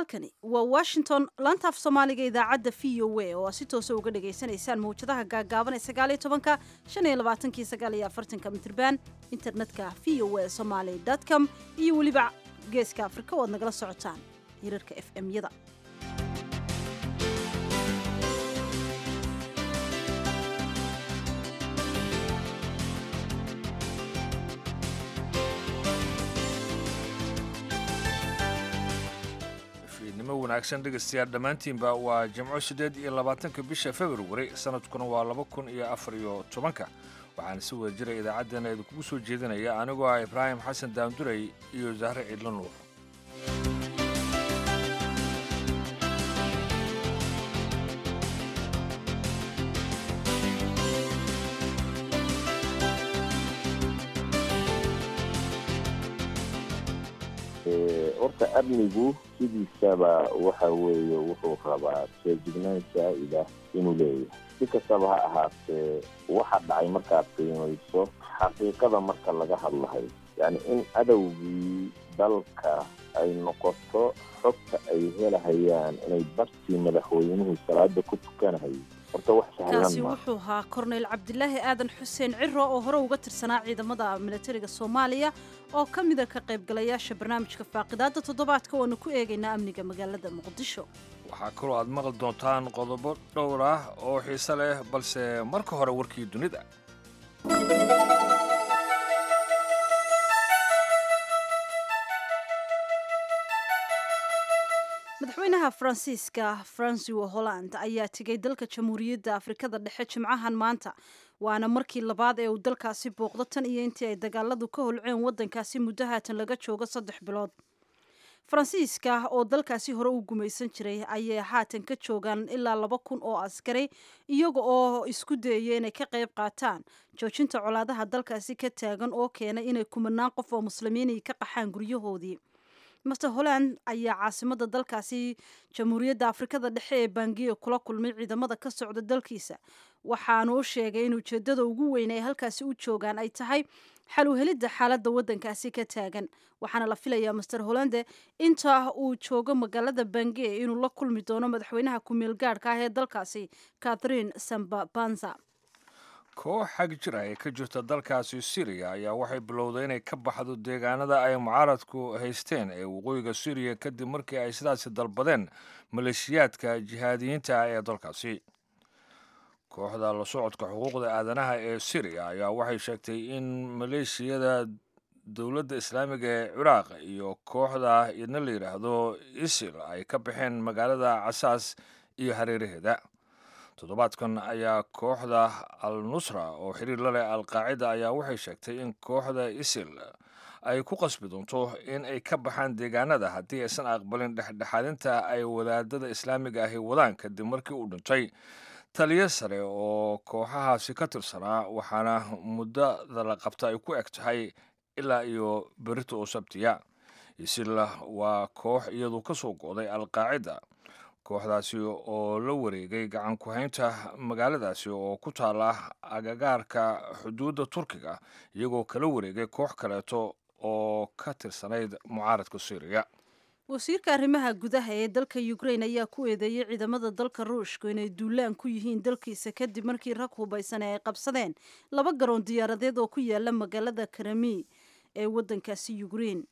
Halkani waa Washington, laanta af Soomaaliga, idaacadda VOA oo aad si toosa uga dhagaysanaysaan mawjadaha gaagaaban ee 19-ka, 25-kii, 49-ka mitrban, internetka voasomali.com iyo weliba Geeska Afrika oo aad nagala socotaan hirarka FM-yada. Fiidnimo wanaagsan, dhegaystayaal dhammaantiinba. Waa Jimco, 28-ka bisha Februari, sanadkuna waa 2014-ka. Waxaana si wada jira idaacaddana idinkugu soo jeedinaya anigoo ah Ibraahim Xasan Daanduray iyo Zahre Ciidlo Nuur. Horta amnigu sidiisaba waxa weeye wuxuu rabaa feejignaan saa'ida inuu leeyahay. Si kastaba ha ahaatee, waxa dhacay markaad qiimayso xaqiiqada marka laga hadlahayo, yacni in adowgii dalka ay noqoto xogta ay helahayaan inay bartii madaxweynuhu salaada ku tukanahay, horta wax sahlan Kaasi ma wuxuu ahaa Korneyl Cabdilaahi Aadan Xuseen Ciro oo hore uga tirsanaa ciidamada milatariga Soomaaliya oo ka mida ka qaybgalayaasha barnaamijka faaqidaadda toddobaadka oonu ku eegaynaa amniga magaalada Muqdisho. Waxaa kaloo aad maqli doontaan qodobo dhowr ah oo xiise leh, balse marka hore warkii dunida. Madaxweynaha Faransiiska Francois Holland ayaa tegay dalka Jamhuuriyadda Afrikada Dhexe jimcahan maanta, waana markii labaad ee uu dalkaasi booqdo tan iyo intii ay dagaaladu ka holceen waddankaasi muddo haatan laga joogo 3 bilood. Faransiiska oo dalkaasi hore u gumaysan jiray ayay haatan ka joogaan ilaa 2000 oo askari, iyaga oo isku dayaya inay ka qayb qaataan joojinta colaadaha dalkaasi ka taagan oo keenay inay kumanaan qof oo muslimiin ka qaxaan guryahoodii. Mister Holland ayaa caasimada dalkaasi Jamhuuriyadda Afrikada Dhexe ee Bangiya kula kulmay ciidamada ka socda dalkiisa, waxaanu u sheegay in ujeedada ugu weyn ay halkaasi u joogaan ay tahay xal u helidda xaaladda waddankaasi ka taagan. Waxaana la filayaa Mister Hollande inta uu joogo magaalada Bangiya inuu la kulmi doono madaxweynaha ku-meel gaadhka ah ee dalkaasi, Catherine Samba Panza. Koox xag jir ah ee ka jirta dalkaasi Syriya ayaa waxay bilowday inay ka baxdo deegaanada ay mucaaradku haysteen ee waqooyiga Syriya, kadib markii ay sidaasi dalbadeen maleeshiyaadka jihaadiyiinta ah ee dalkaasi. Kooxda la socodka xuquuqda aadanaha ee Syriya ayaa waxay sheegtay in maleeshiyada Dowladda Islaamiga ee Ciraaq iyo kooxda idna la yidhaahdo ISIL ay ka baxeen magaalada Casaas iyo hareeraheeda. Toddobaadkan ayaa kooxda Al Nusra oo xiriir la leh Al Qaacida ayaa waxay sheegtay in kooxda ISIL ay ku qasbi doonto in ay ka baxaan deegaanada haddii aysan aqbalin dhexdhexaadinta ay wadaadada islaamiga ahi wadaan, kadib markii uu dhintay taliyo sare oo kooxahaasi ka tirsanaa, waxaana muddada la qabta ay ku eg tahay ilaa iyo berito oo Sabtiya. ISIL waa koox iyadu ka soo go'day Al Qaacida, kooxdaasi oo la wareegay gacan ku-haynta magaaladaasi oo ku taala agagaarka xuduudda Turkiga, iyagoo kala wareegay koox kaleeto oo ka tirsanayd mucaaradka Syriya. Wasiirka arrimaha gudaha ee dalka Ukraine ayaa ku eedeeyey ciidamada dalka Ruushku inay duulaan ku yihiin dalkiisa, kadib markii rag hubaysan ay qabsadeen laba garoon diyaaradeed oo ku yaala magaalada Krami ee waddankaasi Ukraine.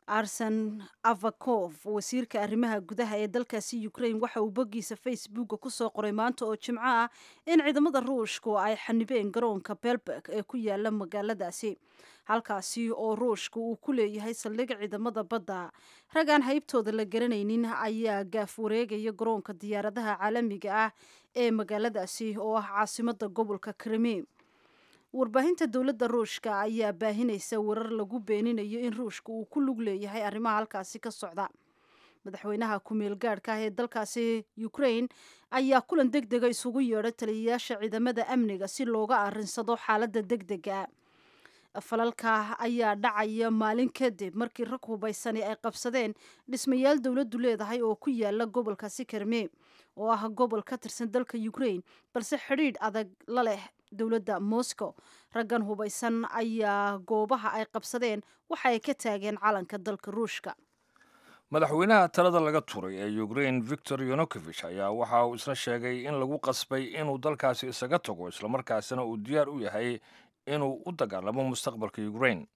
Arsen Avakov, wasiirka arrimaha gudaha ee dalkaasi Ukraine, waxa uu boggiisa Facebooka kusoo qoray maanta oo Jimco ah in ciidamada Ruushku ay xanibeen garoonka Belbek ee ku yaala magaaladaasi, halkaasi oo Ruushka uu ku leeyahay saldhig ciidamada badda. Rag aan haybtooda la garanaynin ayaa gaaf wareegaya garoonka diyaaradaha caalamiga ah ee magaaladaasi oo ah caasimada gobolka Krimi. Warbaahinta dowladda Ruushka ayaa baahinaysa warar lagu beeninayo in Ruushka uu ku lug leeyahay arrimaha halkaasi ka socda. Madaxweynaha ku-meel gaadhka ah ee dalkaasi Ukraine ayaa kulan deg dega isugu yeedhay taliyayaasha ciidamada amniga si looga arrinsado xaaladda deg dega. Falalka ayaa dhacaya maalin kadib markii rag hubaysani ay qabsadeen dhismayaal dowladdu leedahay oo ku yaala gobolkaasi Krimi oo ah gobol ka tirsan dalka Ukraine balse xidhiidh adag la leh dowladda Moscow. Raggan hubaysan ayaa goobaha ay qabsadeen waxa ay ka taageen calanka dalka Ruushka. Madaxweynaha talada laga turay ee Ukrain, Victor Yanukovich, ayaa waxa uu isna sheegay in lagu qasbay inuu dalkaasi isaga tago, islamarkaasina uu diyaar u yahay inuu u dagaalamo mustaqbalka Ukrain.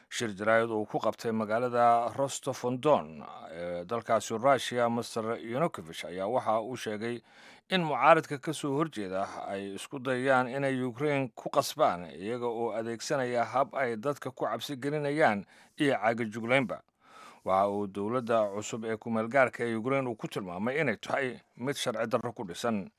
Shir jaraa'id uu ku qabtay magaalada Rostov-on-Don ee dalkaasi Rushia, Master Yanukovich ayaa waxa uu sheegay in mucaaridka ka soo horjeeda ay isku dayayaan inay Ukrain ku qasbaan, iyaga oo adeegsanaya hab ay dadka ku cabsi gelinayaan iyo caagajuglaynba. Waxa uu dowladda cusub ee kumeelgaarka ee Ukrain uu ku tilmaamay inay tahay mid sharci darro ku dhisan.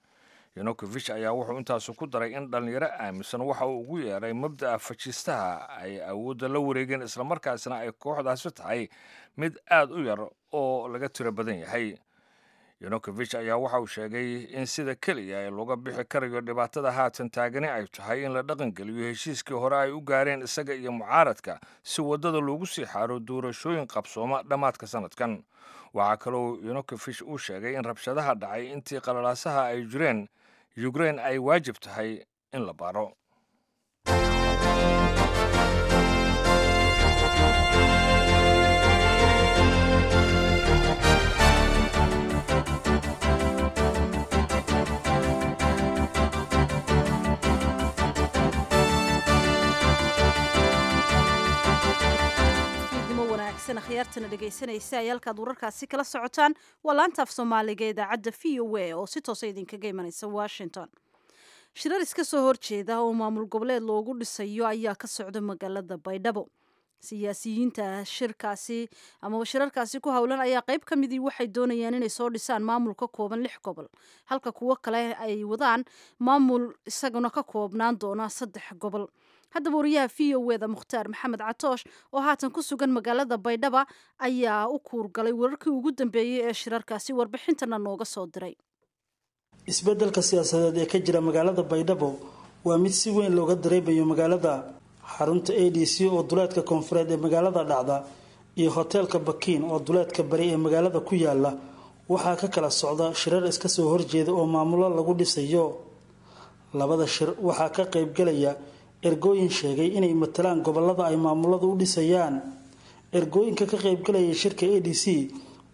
Yanukovich ayaa wuxuu intaasu ku daray in dhallinyaro aaminsan waxa uu ugu yeeray mabda'a fajistaha ay awoodda la wareegeen, islamarkaasna ay kooxdaasi tahay mid aad u yar oo laga tiro badan yahay. Yanukovich ayaa waxa uu sheegay in sida keliya ee looga bixi karayo dhibaatada haatan taagani ay tahay in la dhaqangeliyo heshiiskii hore ay u gaareen isaga iyo mucaaradka, si waddada loogu sii xaaro doorashooyin qabsooma dhammaadka sanadkan. Waxaa kaloo Yanukovich uu sheegay in rabshadaha dhacay intii qalalaasaha ay jireen Ukrain ay waajib tahay in la baaro. Fiidnimo wanaagsan, akhyaartana dhegaysanaysa ay halkaad wararkaasi kala socotaan waa laanta af Soomaaliga ee idaacadda VOA oo si toosa idinkaga imanaysa Washington. Shirar iska soo horjeeda oo maamul goboleed loogu dhisayo ayaa ka socda magaalada Baydhabo. Siyaasiyiinta shirkaasi amaba shirarkaasi ku howlan ayaa qayb ka midii waxay doonayaan inay soo dhisaan maamul ka kooban lix gobol, halka kuwo kale ay wadaan maamul isaguna ka koobnaan doona saddex gobol. Haddaba wariyaha VOA da Mukhtaar Maxamed Catoosh oo haatan ku sugan magaalada Baydhaba ayaa u kuurgalay wararkii ugu dambeeyey ee shirarkaasi, warbixintana nooga soo diray. Isbeddelka siyaasadeed ee ka jira magaalada Baydhabo waa mid si weyn looga dareemayo magaalada. Xarunta ADC oo duleedka koonfureed ee magaalada dhacda iyo hoteelka Bakiin oo duleedka bari ee magaalada ku yaala waxaa ka kala socda shirar iska soo horjeeda oo maamulo lagu dhisayo. Labada shir waxaa ka qaybgalaya ergooyin sheegay inay matalaan gobolada ay maamuladu u dhisayaan. Ergooyinka ka qaybgalaya shirka ADC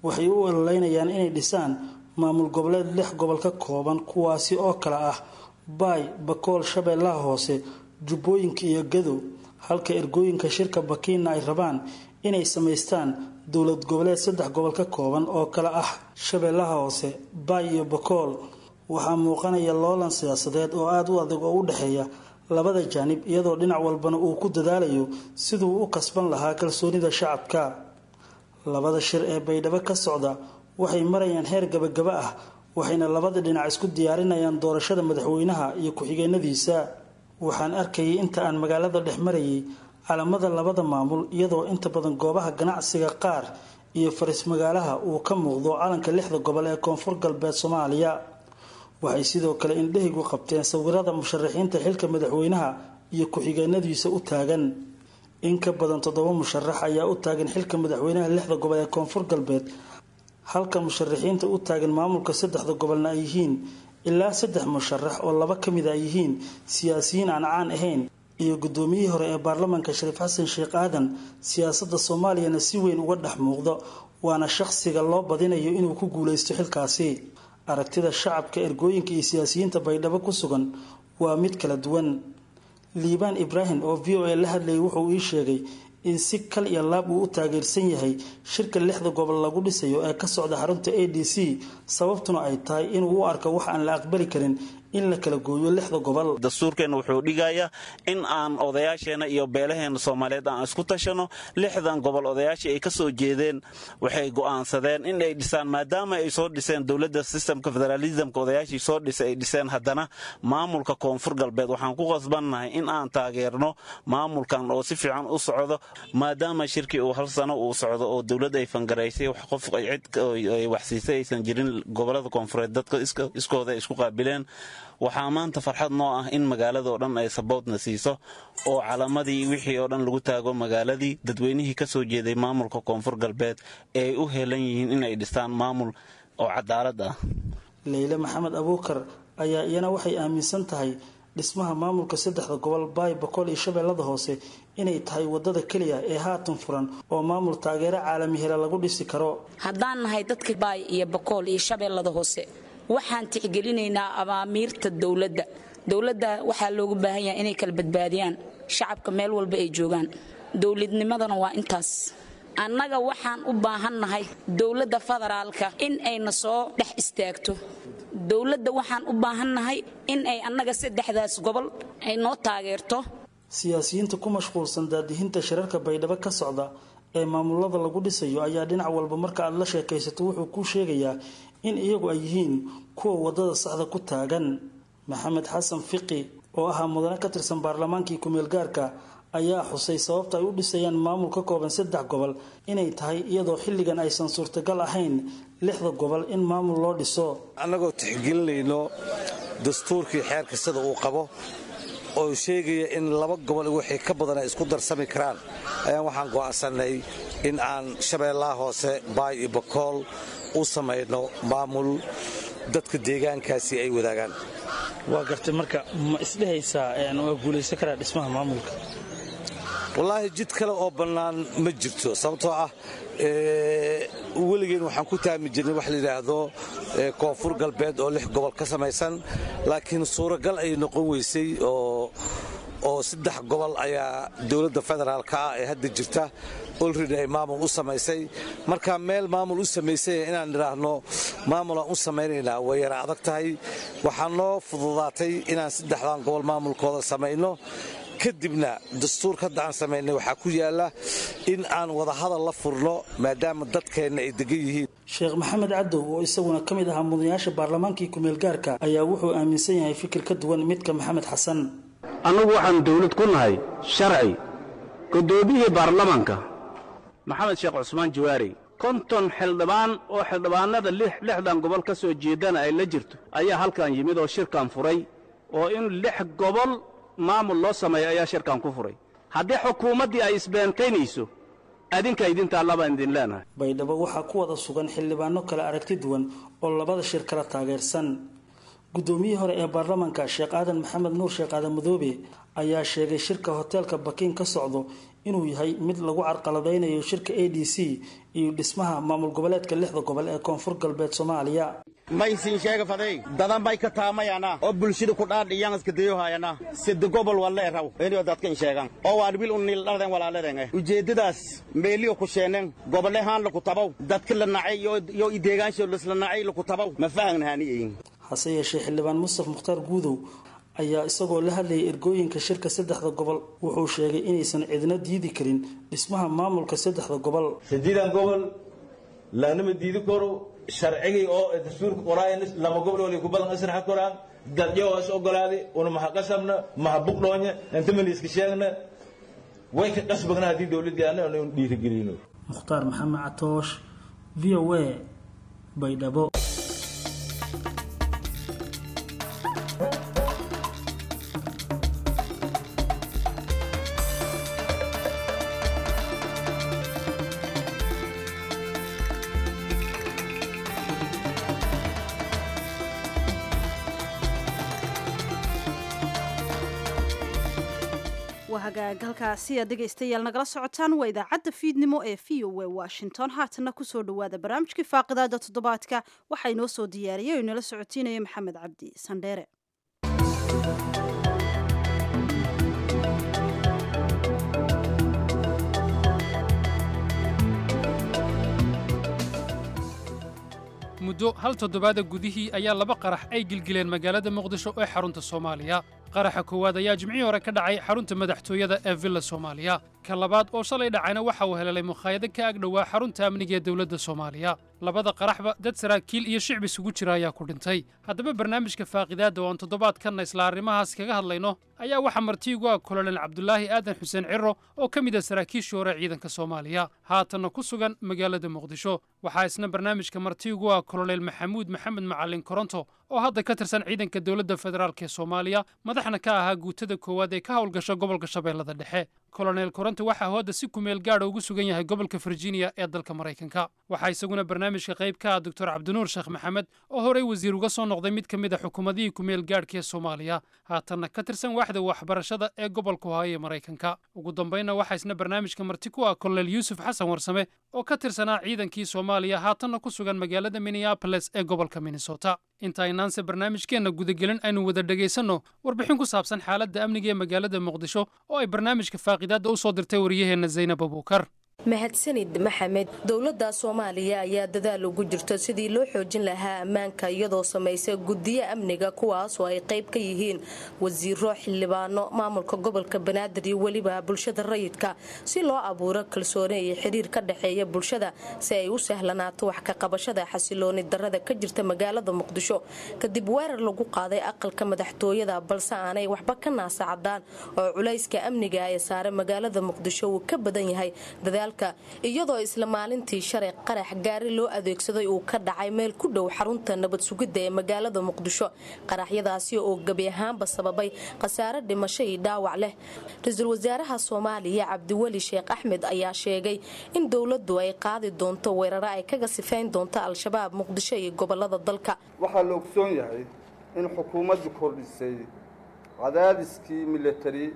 waxay u ololeynayaan inay dhisaan maamul goboleed lix gobol ka kooban, kuwaasi oo kala ah Baay, Bakool, Shabeellaha Hoose, Jubbooyinka iyo Gado, halka ergooyinka shirka Bakiinna ay rabaan inay samaystaan dowlad goboleed saddex gobol ka kooban oo kala ah Shabeellaha Hoose, Baay iyo Bakool. Waxaa muuqanaya loolan siyaasadeed oo aada u adag oo u dhexeeya labada jaanib, iyadoo dhinac walbana uu ku dadaalayo siduu u kasban lahaa kalsoonida shacabka. Labada shir ee Baydhabo ka socda waxay marayaan heer gabagaba ah, waxayna labada dhinac isku diyaarinayaan doorashada madaxweynaha iyo ku-xigeenadiisa. Waxaan arkayay inta aan magaalada dhex marayay calamada labada maamul, iyadoo inta badan goobaha ganacsiga qaar iyo faris magaalaha uu ka muuqdo calanka lixda gobol ee Koonfur Galbeed Soomaaliya. Waxay sidoo kale indhahaygu qabteen sawirada musharaxiinta xilka madaxweynaha iyo ku-xigeenadiisa u taagan. In ka badan toddoba musharax ayaa u taagan xilka madaxweynaha lixda gobol ee Koonfur Galbeed, halka musharaxiinta u taagan maamulka saddexda gobolna ay yihiin ilaa saddex musharax oo laba ka mid ay yihiin siyaasiyiin aan caan ahayn iyo guddoomiyihii hore ee baarlamaanka Shariif Xasan Sheekh Aadan, siyaasadda Soomaaliyana si weyn uga dhex muuqdo, waana shaqsiga loo badinayo inuu ku guuleysto xilkaasi. Aragtida shacabka, ergooyinka iyo siyaasiyiinta Baydhabo ku sugan waa mid kala duwan. Liibaan Ibraahim oo VOA la hadlayay wuxuu ii sheegay in si kal iyo laab uu u taageersan yahay shirka lixda gobol lagu dhisayo ee ka socda xarunta ADC, sababtuna ay tahay inuu u arko wax aan la aqbali karin in la kala gooyo lixda gobol. Dastuurkeenna wuxuu dhigayaa in aan odayaasheenna iyo beelaheenna Soomaaliyeed aan isku tashano. Lixdan gobol odayaashii ay ka soo jeedeen waxay go'aansadeen in ay dhisaan, maadaama ay soo dhiseen dowladda sistemka federaalismka, odayaashii soo dhisay ay dhiseen haddana maamulka Koonfur Galbeed. Waxaan ku qasbannahay in aan taageerno maamulkan oo si fiican u socdo, maadaama shirkii uu hal sano uu socdo oo dowladda ay fangaraysay, wax qof cid ay waxsiisay aysan jirin. Gobolada koonfureed dadka iskooda ay isku qaabileen. Waxaa maanta farxad noo ah in magaalada oo dhan ay saboodna siiso oo calamadii wixii oo dhan lagu taago magaaladii. Dadweynihii ka soo jeeday maamulka Koonfur Galbeed ee ay u helan yihiin inay dhistaan maamul oo cadaalad ah. Leyle Maxamed Abuukar ayaa iyana waxay aaminsan tahay Dhismaha maamulka saddexda gobol Baay, Bakool iyo Shabeellada Hoose inay tahay wadada keliya ee haatan furan oo maamul taageero caalami hela lagu dhisi karo. Haddaan nahay dadka Baay iyo Bakool iyo Shabeellada Hoose, waxaan tixgelinaynaa abaamiirta dowladda. Dowladda waxaa loogu baahan yahay inay kala badbaadiyaan shacabka meel walba ay joogaan. Dowladnimadana waa intaas. Annaga waxaan u baahannahay dowladda federaalka in ayna soo dhex istaagto. Dowladda waxaan u baahannahay in ay annaga saddexdaas gobol ay noo taageerto. Siyaasiyiinta ku mashquulsan daadihinta shirarka Baydhabo ka socda ee maamulada lagu dhisayo ayaa dhinac walba marka aad la sheekaysato wuxuu kuu sheegayaa in iyagu ay yihiin kuwa wadada saxda ku taagan. Maxamed Xasan Fiqi oo ahaa mudane ka tirsan baarlamaankii kumeel gaarka ayaa xusay sababta ay u dhisayaan maamul ka kooban saddex gobol inay tahay iyadoo xilligan aysan suurtagal ahayn lixda gobol in maamul loo dhiso. Annagoo tixgelinayno dastuurkii xeerka sida uu qabo oo sheegaya in laba gobol wixii ka badan ay isku darsami karaan, ayaan waxaan go'aansannay in aan Shabeellaha Hoose, Baay iyo Bakool u samayno maamul dadka deegaankaasi ay wadaagaan. Waa gartay. Marka ma isdhehaysaa waa guulaysan karaa dhismaha maamulka? Wallaahi, jid kale oo bannaan ma jirto, sababtoo ah weligeen waxaan ku taami jirnay wax la yidhaahdo Koonfur Galbeed oo lix gobol ka samaysan, laakiin suuragal ay noqon weysay oo saddex gobol ayaa dowladda federaalka ah ee hadda jirta olredy ay maamul u samaysay. Marka meel maamul u samaysay inaan nidhaahno maamulaan u samaynaynaa way yara adag tahay. Waxaa noo fududaatay inaan saddexdan gobol maamulkooda samayno, kadibna dastuurka hadda aan samaynay waxaa ku yaalla in aan wadahadal la furno maadaama dadkeenna ay degan yihiin. Sheekh Maxamed Cadow oo isaguna ka mid ahaa mudanayaasha baarlamaankii kumeel gaarka ayaa wuxuu aaminsan yahay fikir ka duwan midka Maxamed Xasan. Annagu waxaannu dawlad ku nahay sharci. Guddoomiyihii baarlamaanka Maxamed Sheekh Cusmaan Jawaari, 50 xildhibaan oo xildhibaannada lixdan gobol ka soo jeedana ay la jirto ayaa halkan yimid oo shirkan furay, oo in lix gobol maamul loo sameeyo ayaa shirkan ku furay. Haddii xukuumaddii ay isbeentaynayso, adinka idintaa baan idin leenahay. Baydhabo waxaa ku wada sugan xildhibaano kala aragti duwan oo labada shir kala taageersan. Guddoomiyihii hore ee baarlamaanka, Sheekh Aadan Maxamed Nuur, Sheekh Aadan Madoobe, ayaa sheegay shirka hoteelka Bakiin ka socdo inuu yahay mid lagu carqaladaynayo shirka ADC iyo dhismaha maamul goboleedka lixda gobol ee Koonfur Galbeed Soomaaliya. Maysin sheega faday dadan bay ka taamayana oo bulshada ku dhaadhiyaan iska dayohayana sida gobol walla eraw inay dadkan sheegan oo waan wiil unil dhaladeen walaaladeen ujeedadaas meeliyo ku sheeneen gobolahaan la ku tabow dadka la nacay iyo ideegaansho la nacay la ku tabow ma fahannaaniyin. Hase yeeshee, xildhibaan Mustaf Mukhtaar Guudow ayaa isagoo la hadlayay ergooyinka shirka saddexda gobol wuxuu sheegay inaysan cidna diidi karin dhismaha maamulka saddexda gobol. Sideedan gobol laanama diidi karo. Sharcigii oo dastuurka qoraay lama gobol oo ku badan isra koraan dadyo oo is ogolaaday una maxa qasabna maxa buqdoonya inta man iska sheegna way ka qasbagna haddii dowladii aan aanu dhiirigelino. Mukhtaar Maxamed Catoosh, VOA, Baydhabo. Waa hagaag. Halkaasi aad dhegaystayaal nagala socotaan waa idaacadda fiidnimo ee VOA Washington. Haatana kusoo dhawaada barnaamijkii faaqidaada toddobaadka. Waxaa inoo soo diyaariyay oo inala socotiinaya Maxamed Cabdi Sandheere. Muddo hal toddobaada gudihii ayaa laba qarax ay gilgileen magaalada Muqdisho ee xarunta Soomaaliya. Qaraxa koowaad ayaa Jimcihii hore ka dhacay xarunta madaxtooyada ee Villa Soomaaliya. Ka labaad oo shalay dhacayna waxa uu helelay mukhaayado ka agdhowaa xarunta amniga ee dowladda Soomaaliya. Labada qaraxba dad saraakiil iyo shicib isugu jira ayaa ku dhintay. Haddaba, barnaamijka faaqidaadda oo aan toddobaadkanna isla arrimahaas kaga hadlayno ayaa waxaa martiigu ah Kolonel Cabdulaahi Aadan Xuseen Ciro oo ka mid ah saraakiishii hore ciidanka Soomaaliya, haatanna ku sugan magaalada Muqdisho. Waxaa isna barnaamijka martiigu ah Kolonel Maxamuud Maxamed Macalin Koronto oo hadda ka tirsan ciidanka dowladda federaalk ee Soomaaliya, madaxna ka ahaa guutada koowaad ee ka howlgasha gobolka Shabeellada Dhexe. Kolonel Koronto waxaa hooda si kumeel gaadha ugu sugan yahay gobolka Virginia ee dalka Maraykanka. Waxaa isaguna barnaamijka qayb ka ah Doctor Cabdinuur Sheekh Maxamed, oo horey wasiir uga soo noqday mid ka mid a xukuumadihii kumeel gaadhka ee Soomaaliya, haatanna ka tirsan waaxda waxbarashada ee gobolka Ohio ee Maraykanka. Ugu dambaynna waxaa isna barnaamijka marti ku ah Kolonel Yuusuf Xasan Warsame, oo ka tirsanaa ciidankii Soomaaliya, haatanna ku sugan magaalada Minneapolis ee gobolka Minnesota. Inta aynaanse barnaamijkeenna gudagelin, aynu wada dhegaysanno warbixin ku saabsan xaaladda amniga ee magaalada Muqdisho oo ay barnaamijka faaqidaadda u soo dirtay wariyaheenna Zaynab Abuukar. Mahadsanid, Maxamed. Dowladda Soomaaliya ayaa dadaal ugu jirto sidii loo xoojin lahaa ammaanka, iyadoo samaysay guddiyo amniga, kuwaas oo ay qayb ka yihiin wasiiro, xildhibaano, maamulka gobolka Banaadir iyo weliba bulshada rayidka, si loo abuuro kalsooni iyo xiriir ka dhexeeya bulshada, si ay u sahlanaato wax ka qabashada xasilooni darada ka jirta magaalada Muqdisho kadib weerar lagu qaaday aqalka madaxtooyada, balse aanay waxba ka naasacadaan oo culayska amniga ee saare magaalada Muqdisho uu ka badan yahay dadaal, iyadoo isla maalintii shalay qarax gaari loo adeegsaday uu ka dhacay meel ku dhow xarunta nabad sugidda ee magaalada Muqdisho, qaraxyadaasi oo gebi ahaanba sababay khasaare dhimasho iyo dhaawac leh. Ra-iisul wasaaraha Soomaaliya Cabdiweli Sheekh Axmed ayaa sheegay in dowladdu ay qaadi doonto weeraro ay kaga sifayn doonto Al-Shabaab Muqdisho iyo gobolada dalka. Waxaa la ogsoon yahay in xukuumaddu kordhisay cadaadiskii milatari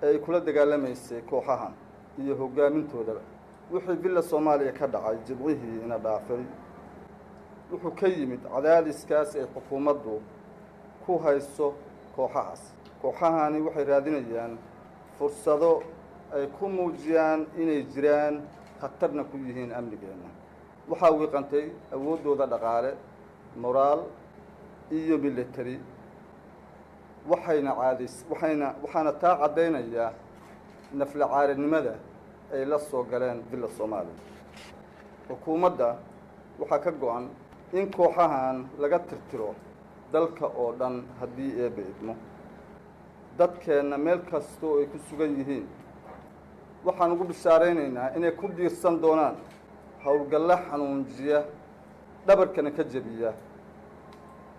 ee ay kula dagaalamaysay kooxahan iyo hoggaamintoodaba. Wixii Villa Soomaaliya ka dhacay Jimcihii ina dhaafay wuxuu ka yimid cadaadiskaas ay xukuumaddu ku hayso kooxahaas. Kooxahani waxay raadinayaan fursado ay ku muujiyaan inay jiraan, khatarna ku yihiin amnigeenna. Waxaa wiiqantay awooddooda dhaqaale, moraal iyo military, waxayna caadays waxayna waxaana taa caddaynayaa naflacaarinimada ay la soo galeen Villa Soomaaliya. Xukuumadda waxaa ka go-an in kooxahan laga tirtiro dalka oo dhan haddii Eebbe idmo. Dadkeenna meel kasta oo ay ku sugan yihiin waxaan ugu bishaaraynaynaa inay ku biirsan doonaan howlgallo xanuunjiya, dhabarkana ka jebiya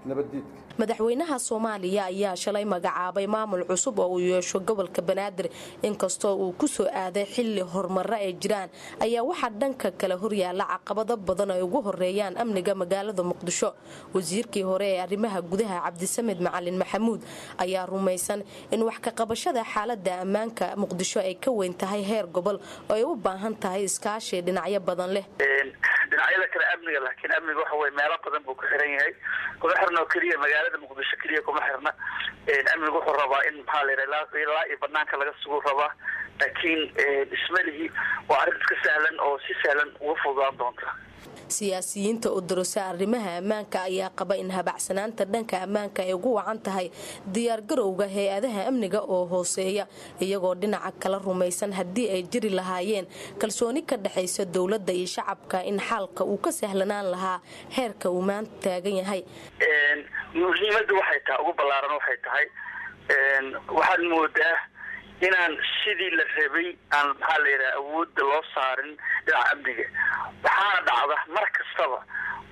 nabaddiidka. Madaxweynaha Soomaaliya ayaa shalay magacaabay maamul cusub oo uu yeesho gobolka Banaadir. Inkastoo uu ku soo aaday xilli horumaro ay jiraan, ayaa waxaa dhanka kale horyaala caqabado badan ay ugu horeeyaan amniga magaalada Muqdisho. Wasiirkii hore ee arrimaha gudaha Cabdisamed Macalin Maxamuud ayaa rumaysan in wax ka qabashada xaalada ammaanka Muqdisho ay ka weyn tahay heer gobol oo ay u baahan tahay iskaashi dhinacyo badan leh. Dhinacyada kale amniga, laakiin amniga waxa weye meelo badan buu ku xiran yahay. Kuma xirna oo keliya magaalada Muqdisho keliya kuma xirna. Amnigu wuxuu rabaa in, maxaa la yidhaha, ilaa iyo banaanka laga sugu rabaa, laakiin ismalihi waa arrin iska sahlan oo si sahlan uga fududaan doonta. Siyaasiyiinta u darusa arrimaha ammaanka ayaa qaba in habacsanaanta dhanka ammaanka ay ugu wacan tahay diyaargarowga hay-adaha amniga oo hooseeya, iyagoo dhinaca kala rumaysan haddii ay jiri lahaayeen kalsooni ka dhexaysa dowladda iyo shacabka in xaalka uu ka sahlanaan lahaa heerka uu maanta taagan yahay. Muhiimadda waxay tahay ugu ballaaran waxay tahay, waxaad moodaa inaan sidii la rabay aan, maxaa la yidhaha, awoodda loo saarin dhinaca amniga. Waxaana dhacda mar kastaba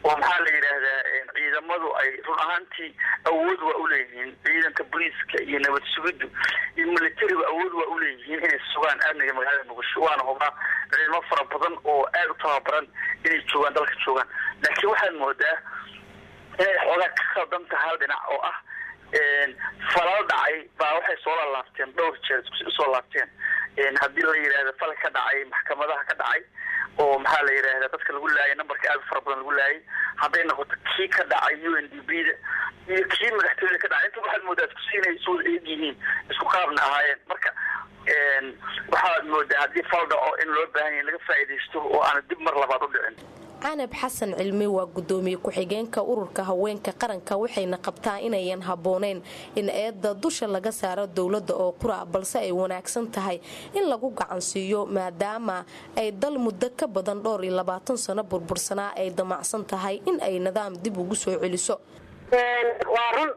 oo, maxaa la yidhaahdaa, ciidamadu ay run ahaantii awood waa uleeyihiin, ciidanka booliiska iyo nabad sugiddu iyo militarigu awood waa uleeyihiin inay sugaan amniga magaalada Muqdisho, waana hubaa ciidamo fara badan oo aada u tababaran inay joogaan dalka joogaan, laakiin waxaad moodaa inay xoogaa ka khaldan tahay hal dhinac oo ah falal dhacay baa waxay soo laalaabteen dhowr jeer usoo laabteen. Haddii la yidhahdo fal ka dhacay maxkamadaha ka dhacay oo, maxaa la yidhahda, dadka lagu laayay, numberka aada u fara badan lagu laayay, hadday noqoto kii ka dhacay UNDP da iyo kii madaxtooyada ka dhacay, inta waxaad moodaa isku siinay isu wada eeg yihiin, isku qaabna ahaayeen. Marka waxaad moodaa haddii fal dhaco in loo baahan yahay laga faa'iidaysto oo aana dib mar labaad u dhicin. Canab Xasan Cilmi waa gudoomiye ku-xigeenka Ururka Haweenka Qaranka, waxayna qabtaa inayan habbooneyn in eedda dusha laga saaro dowladda oo qura, balse ay wanaagsan tahay in lagu gacansiiyo, maadaama ay dal muddo ka badan dhowr iyo 20 sano burbursanaa ay damacsan tahay in ay nidaam dib ugu soo celiso. Waa run,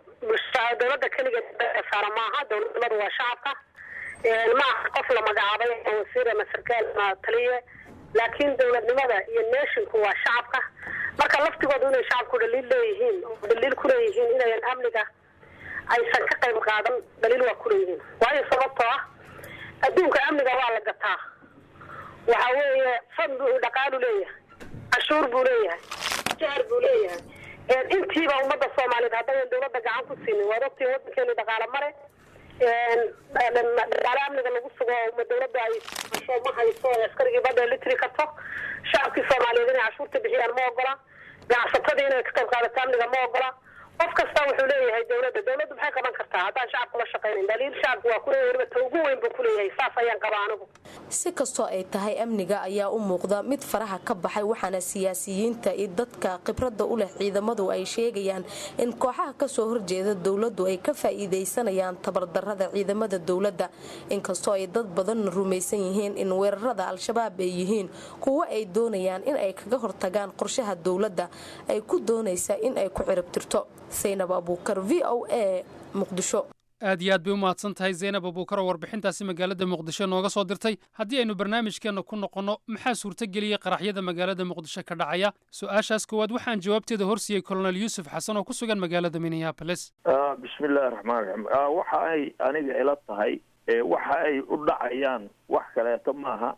dowladda keligeed saara maaha. Dowladnimadu waa shacabka, ma aha qof la magacaabay wasiir ama sarkaal ama taliye, laakiin dowladnimada iyo nationku waa shacabka. Marka laftigoodu inay shacabku dhaliil leeyihiin oo dhaliil kuleeyihiin inayan amniga aysan ka qayb qaadan, dhaliil waa kuleeyihiin, waayo sababtoo ah Adduunka amniga waa la gataa. Waxa weeye fund buu, dhaqaalu leeyahay, cashuur buu leeyahay, jaar buu leeyahay. Intiiba ummadda Soomaaliyeed haddayan dowladda gacan ku siinin, waad ogtiin waddankeenu dhaqaale male, dhaqaale amniga lagu sugo oo dowladda ay hasho ma hayso. Askarigii badda litri karto, shacabkii Soomaaliyeed inay cashuurta bixiyaan ma ogola, ganacsatadii inay ka qayb qaadato amniga ma ogola. Qof kasta wuxuu leeyahay dowladda, dowladdu maxay qaban kartaa haddaan shacabku la shaqaynayn? Daliil shacabku waa kuleeyahay, weliba ta ugu weyn buu kuleeyahay. Saas ayaan qabaa anigu. Si kastoo ay tahay, amniga ayaa u muuqda mid faraha ka baxay, waxaana siyaasiyiinta iyo dadka khibradda u leh ciidamadu ay sheegayaan in kooxaha kasoo horjeeda dowladdu ay ka faa'iidaysanayaan tabardarrada ciidamada dowladda, inkastoo ay dad badan rumaysan yihiin in weerarada Al-Shabaab ay yihiin kuwo ay doonayaan in ay kaga hortagaan qorshaha dowladda ay ku doonaysa in ay ku ciribtirto. Saynab Abuukar, VOA, Muqdisho. Aad iyo aad bay u mahadsan tahay Zaynab Abuukar oo warbixintaasi magaalada Muqdisho nooga soo dirtay. Haddii aynu barnaamijkeenna ku noqonno, maxaa suurtageliyey qaraxyada magaalada Muqdisho ka dhacaya? Su-aashaas koowaad waxaan jawaabteeda horsiiyey Colonel Yuusuf Xasan oo ku sugan magaalada Minneapolis. Bismi illahi raxmaan raxiim. Waxa ay aniga ila tahay, waxa ay u dhacayaan wax kaleeto maaha.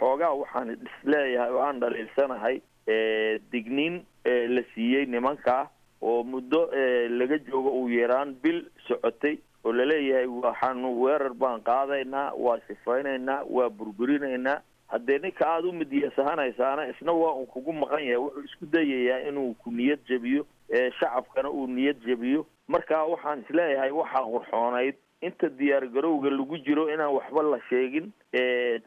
Xoogaa waxaan isleeyahay oo aan dhaliilsanahay digniin la siiyey nimankaa oo muddo laga joogo uu yaraan bil socotay, oo laleeyahay waxaanu weerar baan qaadaynaa, waa sifaynaynaa, waa burburinaynaa. Haddee ninka aada u midiyasahanaysaana isna waa un kugu maqan yahay, wuxuu isku dayayaa inuu ku niyad jebiyo, shacabkana uu niyad jebiyo. Marka waxaan isleeyahay waxaa qurxoonayd inta diyaargarowga lagu jiro inaan waxba la sheegin,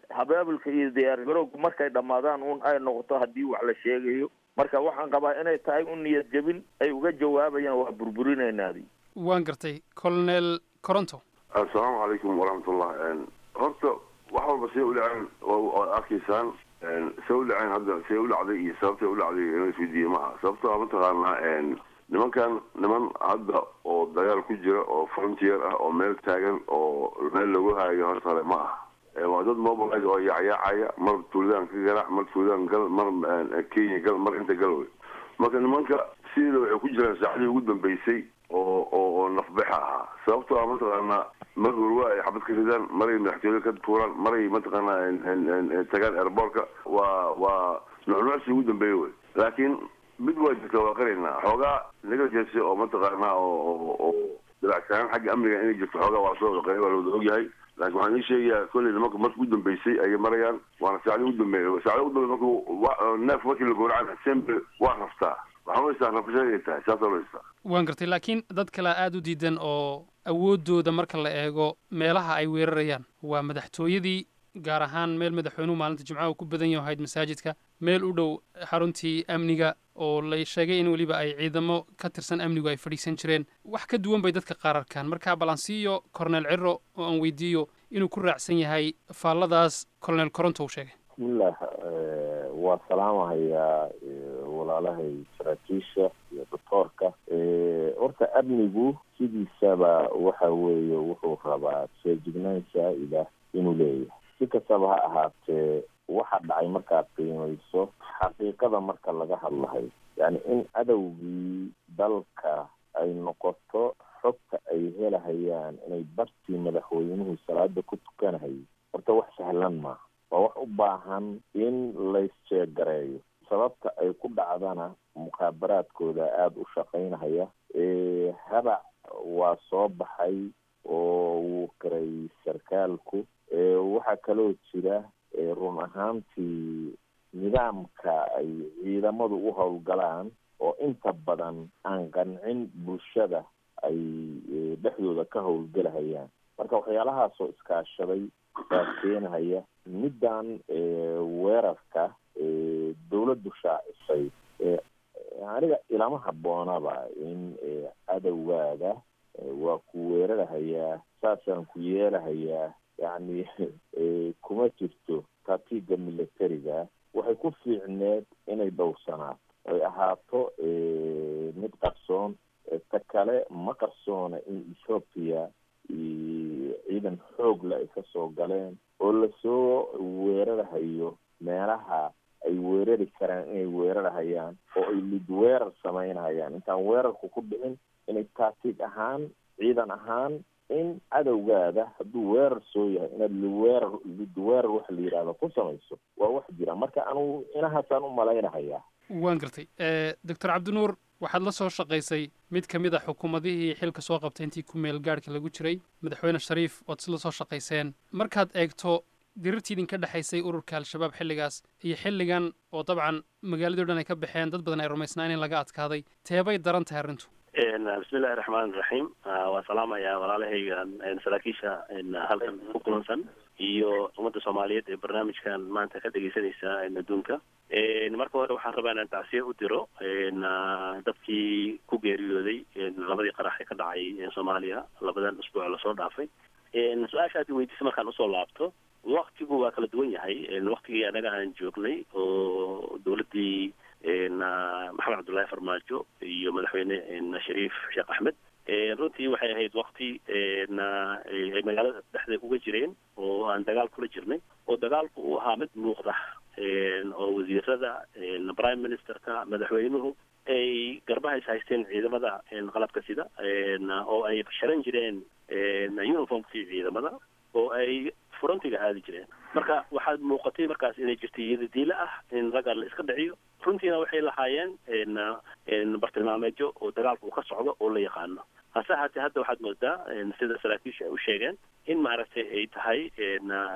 habaabulka iyo diyaargarowga markay dhammaadaan un ay noqoto haddii wax la sheegayo. Marka waxaan qabaa inay tahay un niyad jebin ay uga jawaabayaan waa burburinaynaadi. Waan gartay. Colonel Coronto. Assalaamu calaykum waraxmatullah. Horta wax walba siday u dhaceen waad arkaysaan. Say u dhaceen hadda, say u dhacday iyo sababtay u dhacday inuu isweydiiye maaha. Sababtoo ah, mataqaanaa, nimankan niman hadda oo dagaal ku jira oo frontier ah oo meel taagan oo meel lagu haayo horta hore ma aha. Waa dad mobilize oo yaacyaacaya, mar tuuladaan ka garaac, mar tuuladaan gal, mar Kenya gal, mar inta gal wey. Marka nimanka sideeda waxay ku jiraan saacadii ugu dambeysay oo nafbaxa ahaa. Sababtoo ah, mataqaanaa, mar hurwa ay xabad ka ridaan, maray madaxtooyada ka tuuraan, maray mataqaanaa tagaan airportka, waa nucnucsi ugu dambeeya wey. Laakiin mid waa jirta, waa qaraynaa xoogaa negligence oo mataqaanaa oo dabacsanaan xagga amniga inay jirto. Xoogaa waa soo wada, waa la wada ogyahay. Laakiin waxaan ii sheegayaa kolley nimanka marka ugu dambeysay ayay marayaan, waana saacadii ugu dambeeyay. Saacadii ugu dambeysay markuu neef markii la gowracana sembe waa raftaa, waxaan u haystaa rafashada inay tahay, saasa loo haystaa. Waan gartay, laakiin dad kale aada u diidan oo awooddooda marka la eego meelaha ay weerarayaan waa madaxtooyadii, gaar ahaan meel madaxweynuhu maalinta Jimcaha uu ku badan yahay ahayd masaajidka, meel u dhow xaruntii amniga oo la sheegay in weliba ay ciidamo ka tirsan amnigu ay fadhiisan jireen. Wax ka duwan bay dadka qaar arkaan. Marka bal aan siiyo Cornel Ciro oo aan weydiiyo inuu ku raacsan yahay faalladaas Colonel Coronto uu sheegay. Bismillah, waa salaamahayaa walaalahay saraakiisha iyo doctoorka. Horta amnigu sidiisaba waxa weeye wuxuu rabaa feejignaan saa'ida inuu leeyahay. Si kastaba ha ahaatee, waxa dhacay markaad qiimayso xaqiiqada marka laga hadlahay, yani in cadowgii dalka ay noqoto xogta ay helahayaan inay bartii madaxweynuhu salaada ku tukanahayay, horta wax sahlan maaha. Waa wax u baahan in laysjeegareeyo. Sababta ay ku dhacdana mukhaabaraadkooda aada u shaqaynahaya. Habac waa soo baxay oo wuu qiray sarkaalku. Waxaa kaloo jira run ahaantii nidaamka ay ciidamadu u howlgalaan oo inta badan aan qancin bulshada ay dhexdooda ka howlgelahayaan. Marka waxyaalahaasoo iskaashaday baa keenahaya middan weerarka dawladdu shaacisay. Aniga ilama habboonaba in cadowgaaga waa ku weerarahayaa, saasaan ku yeelahayaa, yacni kuma jirto tatiga militariga. Waxay ku fiicneed inay dhowrsanaato, ay ahaato mid qarsoon. Ta kale, ma qarsoona in Ethoopia ciidan xoog le ay kasoo galeen oo lasoo weerarahayo meelaha ay weerari karaan inay weerarahayaan oo ay lid weerar samaynahayaan intaan weerarku ku dhicin, inay tactic ahaan ciidan ahaan In cadowgaada hadduu weerar soo yahay inaad liweerar lidweerar waxa la yidhahda ku samayso waa wax jira. Marka anugu inahaasaan u malaynahayaa. Waan gartay. Doctor Cabdinuur, waxaad la soo shaqaysay mid ka mid a xukuumadihii xilka soo qabtay intii ku meel gaadhka lagu jiray, Madaxweyne Shariif ood isla soo shaqayseen. Markaad eegto dirirtii idinka dhexaysay ururka Al-Shabaab xilligaas iyo xilligan, oo dabcan magaaladii o dhan ay ka baxeen, dad badan ay rumaysnaa in laga adkaaday, teebay daran tahay arrintu? Bismillahi raxmaan raxiim. Waa salaamayaa walaalahayga saraakiisha halkan ku kulansan iyo ummadda Soomaaliyeed ee barnaamijkan maanta ka dhegeysanaysa adduunka. Marka hore waxaan rabaa inaan tacsiye u diro dadkii ku geeriyooday labadii qarax ee ka dhacay Soomaaliya labadan usbuuc lasoo dhaafay. Su-aasha aad weydiisay markaan usoo laabto, waktigu waa kala duwan yahay. Waktigii anaga aan joognay oo dowladdii Maxamed Cabdullaahi Farmaajo iyo Madaxweyne Shariif Sheekh Axmed, runtii waxay ahayd wakti ay magaalada dhexdeed uga jireen oo aan dagaal kula jirnay, oo dagaalku uu ahaa mid muuqda, oo wasiirada, prime ministerka, madaxweynuhu ay garbaha is haysteen ciidamada qalabka sida, oo ay sharan jireen uniformkii ciidamada, oo ay frontiga aadi jireen. Marka waxaad muuqatay markaas inay jirtay iyadadiila ah in ragga la iska dhiciyo. Runtiina waxay lahaayeen bartilmaameedyo oo dagaalku uu ka socdo oo la yaqaano. Hase ahaatee hadda waxaad moodaa, sida saraakiisha ay u sheegeen, in maaragtay ay tahay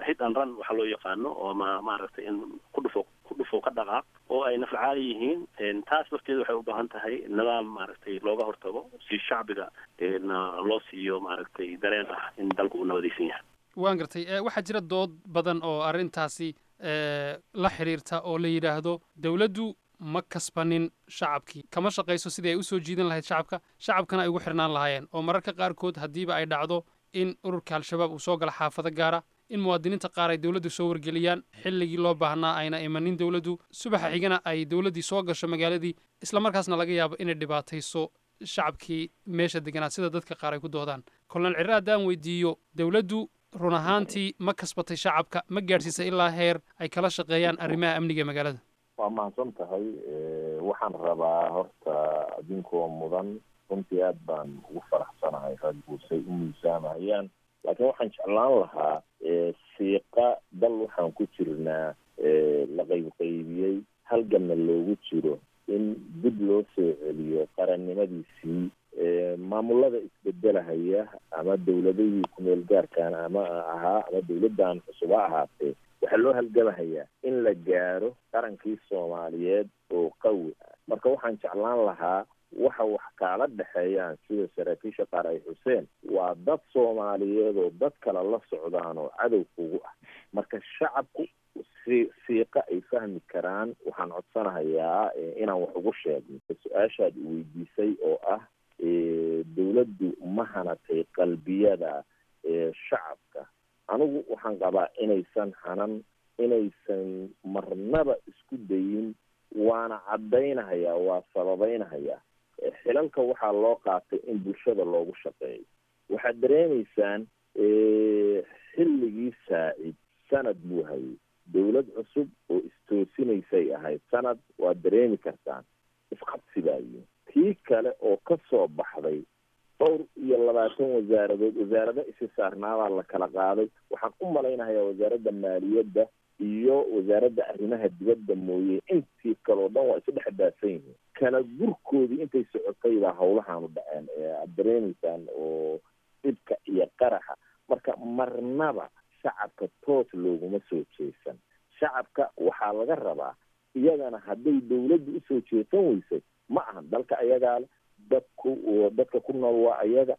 hit and run waxa loo yaqaano, oo ama maaragtay in ku dhufo ku dhufo ka dhaqaaq, oo ay naflacaali yihiin. Taas lafteeda waxay u baahan tahay nidaam maaragtay looga hortago, si shacbiga loo siiyo maaragtay dareen ah in dalku uu nabadaysan yahay. Waan gartay. Waxaa jira dood badan oo arrintaasi la xiriirta, oo la yidhaahdo dowladdu ma kasbanin shacabkii, kama shaqayso sidii ay usoo jiidan lahayd shacabka, shacabkana ay ugu xirnaan lahaayeen, oo mararka qaarkood haddiiba ay dhacdo in ururka Al-Shabaab uu soo gala xaafado gaara, in muwaadiniinta qaar ay dowladdu soo wargeliyaan, xilligii loo baahnaa ayna imanin dowladdu, subaxa xigana ay dowladdii soo gasho magaaladii, isla markaasna laga yaabo inay dhibaatayso shacabkii meesha deganaa, sida dadka qaar ay ku doodaan. Colonel Cirre, haddaan weydiiyo, dowladdu run ahaantii ma kasbatay shacabka? Ma gaadhsiisay ilaa heer ay kala shaqeeyaan arrimaha amniga ee magaalada? Waa mahadsan tahay. Waxaan rabaa horta adinkoo mudan, runtii aad baan ugu faraxsanahay raggu say u miisaamahayaan, laakiin waxaan jeclaan lahaa siiqa dal waxaan ku jirnaa la qaybqaybiyey, halganna loogu jiro in dib loo soo celiyo qarannimadiisii. Maamulada isbedelahaya ama dowladihii kumeel gaarkan ama ahaa ama dowladdan cusub ha ahaatee, waxaa loo halgamahayaa in la gaaro qarankii Soomaaliyeed oo qawi ah. Marka waxaan jeclaan lahaa waxa wax kaala dhexeeyaan, sida saraakiisha qaar ay xuseen, waa dad Soomaaliyeed oo dad kale la socdaan oo cadow kugu ah. Marka shacabku si siiqa ay fahmi karaan waxaan codsanahayaa inaan wax ugu sheegno. Su-aashaad weydiisay oo ah dowladdu ma hanatay qalbiyada shacabka, anigu waxaan qabaa inaysan hanan, inaysan marnaba isku dayin, waana caddaynahayaa, waa sababaynahayaa. Xilalka waxaa loo qaatay in bulshada loogu shaqeeyo. Waxaad dareemaysaan xilligii Saacid sanad buu hayay, dowlad cusub oo istoosinaysay ahayd sanad, waad dareemi kartaan isqabsi baa yimi. Tii kale oo ka soo baxday 24 wasaaradood, wasaarado isi saarnaabaa la kala qaaday. Waxaan u malaynahayaa wasaaradda maaliyadda iyo wasaaradda arrimaha dibadda mooye intii kaleo dhan waa isu dhex daadsan yihiin. Kala gurkoodii intay socotay baa hawlahaanu dhaceen ee aada dareemaysaan oo dhibka iyo qaraxa. Marka marnaba shacabka toos looguma soo jeesan. Shacabka waxaa laga rabaa iyagana hadday dowladdu usoo jeesan weysay, ma ahan dalka ayagaa le, dadku dadka ku nool waa ayaga,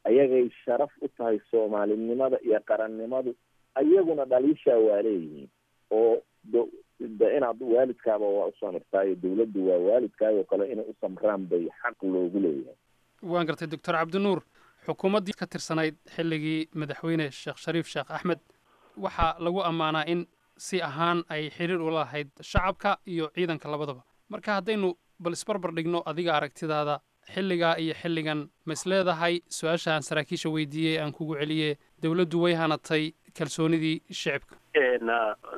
ayagay sharaf u tahay soomaalinimada iyo qarannimadu. Ayaguna dhaliishaa waa leeyihiin, oo inaad waalidkaaba waa u samirtaayo, dowladdu waa waalidkaayoo kale, inay u samraan bay xaq loogu leeyahay. Waan gartay. Doctor Cabdinuur, xukuumaddii ka tirsanayd xilligii Madaxweyne Sheekh Shariif Sheekh Axmed waxaa lagu ammaanaa in si ahaan ay xiriir ula lahayd shacabka iyo ciidanka labadaba. Marka haddaynu bal isbarbar dhigno adiga aragtidaada xilligaa iyo xilligan, ma is leedahay su-aasha aan saraakiisha weydiiyey aan kugu celiye, dowladdu way hanatay kalsoonidii shicibka?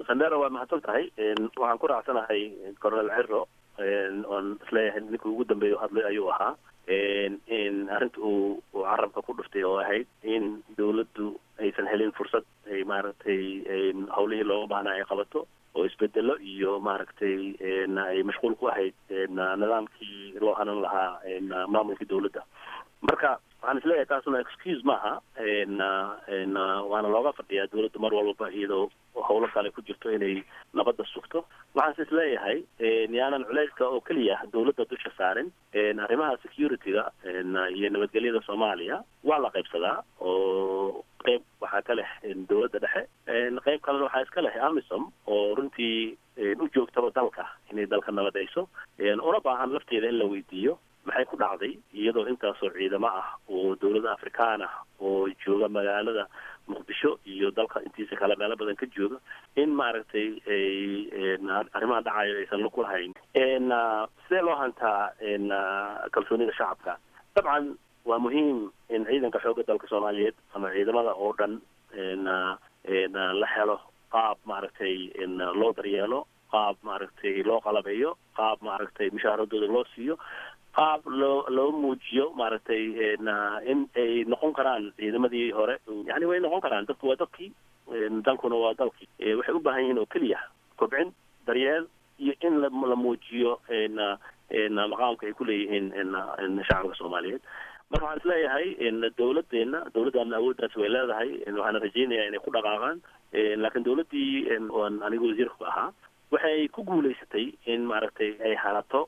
Sandero, waa mahadsan tahay. Waxaan ku raacsanahay Colonel Ciro, oon isleeyahay ninkii ugu dambeeya hadlay ayuu ahaa. In arrinta uu carabka ku dhuftay oo ahayd in dowladdu aysan helin fursad ay maaragtay howlihii looga baahnaa ay qabato, oo isbedelo iyo maaragtay ay mashquul ku ahayd nidaamkii loo hanan lahaa maamulkii dowladda. Marka waxaan isleeyahay taasuna excuse maaha, waana looga fadhiyaa dowladda mar walbaba iyadoo howlo kale ku jirto inay nabadda sugto. Waxaanse isleeyahay yaanan culeyska oo keliya dowladda dusha saarin. Arrimaha security-ga iyo nabadgelyada Soomaaliya waa la qaybsadaa, oo qayb waxaa ka leh dowladda dhexe, qayb kalena waxaa iska leh AMISOM, oo runtii u joogtaba dalka inay dalka nabadayso, una baahan lafteeda in la weydiiyo maxay ku dhacday iyadoo intaasoo ciidamo ah oo dowladda Afrikaan ah oo jooga magaalada Muqdisho iyo dalka intiisa kale meelo badan ka jooga in maaragtay ay arrimaha dhacayo aysan lug ku lahayn. Sidee loo hantaa kalsoonida shacabka? Dabcan waa muhiim in ciidanka xoogga dalka Soomaaliyeed ama ciidamada oo dhan la helo qaab maaragtay loo daryeelo, qaab maaragtay loo qalabeeyo, qaab maaragtay mushaaradooda loo siiyo, qaab loo muujiyo maaragtay in ay noqon karaan ciidamadii hore. Yani way noqon karaan, dadku waa dadkii, dalkuna waa dalkii. Waxay u baahan yihiin oo keliya kobcin, daryeel iyo in la muujiyo maqaamka ay ku leeyihiin shacabka Soomaaliyeed. Marka waxaan isleeyahay dowladeena, dowladdaana awooddaas way leedahay, waxaana rajeynayaa inay ku dhaqaaqaan. Laakiin dowladdii oan anigu wasiirka ku ahaa waxay ku guulaysatay in maaragtay ay hanato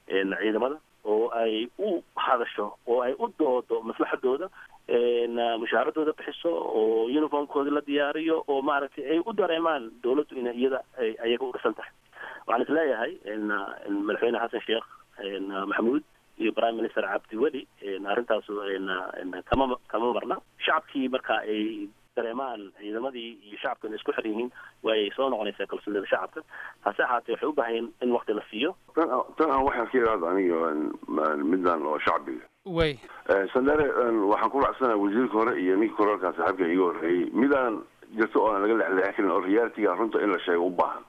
ciidamada, oo ay u hadasho oo ay u doodo maslaxadooda, mushaaradooda bixiso, oo uniformkooda la diyaariyo, oo maaragtay ay u dareemaan dowladdu inay iyada ayaga u dhisan tahay. Waxaan isleeyahay Madaxweyne Xasan Sheekh Maxamuud iyo Prime Minister Cabdiweli arrintaasu kama marna. Shacabkii marka ay dareemaan ciidamadii iyo shacabkana isku xir yihiin, waayay soo noqonaysaa kalsoonida shacabka. Hase ahaatee waxay u baahan yihiin in waqti la siiyo. Tan aan waxaan ka idhaahdo aniga midaan oo shacbiga way Sandare, waxaan ku raacsanahay wasiirka hore iyo ninka koralkaa saaxiibka iga horreeyey. Midaan jirto oo aan laga lexleexin karin oo reality-ga runta in la sheego u baahan,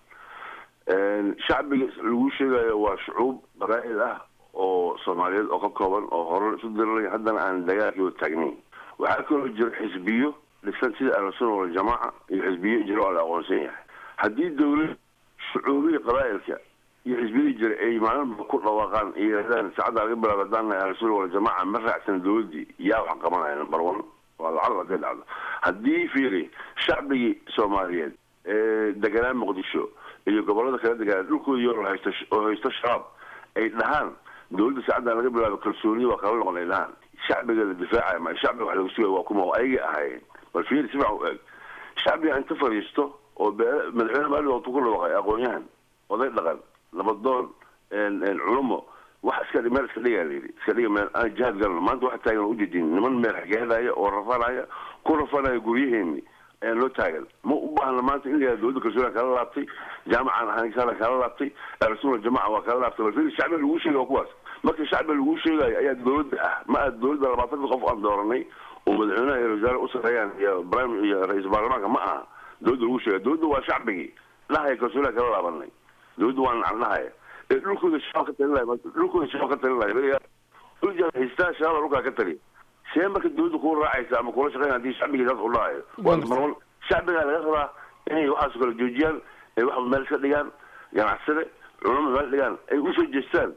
shacbiga lagu sheegayo waa shucuub qabaa'il ah oo Soomaaliyeed oo ka kooban oo hore isu diriraya, haddana aan dagaalkii taagnayn. Waxaa kaloo jira xisbiyo dhisan sida Ahlusuna Waljamaaca iyo xisbiyo jiro oo la aqoonsan yahay. Haddii dowlad shucuubihii qabaa'ilka iyo xisbiyadii jira ay maalinba ku dhawaaqaan iyo yidhahdaan saacadda laga bilaabo haddaan nahay Ahlusuna Waljamaaca ma raacsan dowladdii, yaa wax qabanaya? Number one waa lacag hadday dhacdo. Haddii fiiri shacbigii Soomaaliyeed ee deganaa Muqdisho iyo gobolada kala deganaa dhulkooda yoo haysto oo haysto Shabaab ay dhahaan dowladda saacaddan laga bilaabo kalsoonida waa kala noqon, ay dhahaan shacbiga la difaacaya ma shacbiga wax laga sugaya waa kuma oo ayaga ahaayeen? Bal fiiri si fiican u eeg, shacbiga inta fadhiisto oo madaxweyne maalin waqti ku dhawaaqay, aqoon-yahan, oday dhaqan, nabadoon, culumo, wax iska meel iska dhigaa la yidhi, iska dhiga meel aan jihaad galno. Maanta waxa taagan oo ujeedin niman meel xageedaya oo rafanaya, ku rafanaya guryaheeni ayaan loo taagan. Ma u baahna maanta in la yihahdo dowladda kalsoonida kala laabtay, jaamacan ahaan kala laabtay, Ahlusuna Jamaca waa kala laabtay. Bal fiiri, shacbiga lagu sheegay waa kuwaas. Marka shacbiga lagu sheegayo ayaa dowladda ah, ma ah dowladda 20-ka qof aan dooranay oo madaxweynaha iyo wasaare u sarreeyaan iyo prime iyo ra-iisul baarlamaanka. Ma aha dowladda lagu sheegay, dowladda waa shacbigii dhahaya kalsoonida kala laabanay. Dowladda waa nacan dhahaya ee dhulkooda shabaab ka talin lahay, dhulkooda shabaab ka talin lahay, dhulka haystaa shabaab dhulkaa ka taliya. See marka dowladda kuu raacaysa ama kula shaqeyn haddii shacbigii saas u dhahayo? Waa marwan shacbigaa laga rabaa inay waxaas kala joojiyaan, ay wax meel iska dhigaan, ganacsade, culamo meel dhigaan, ay usoo jeestaan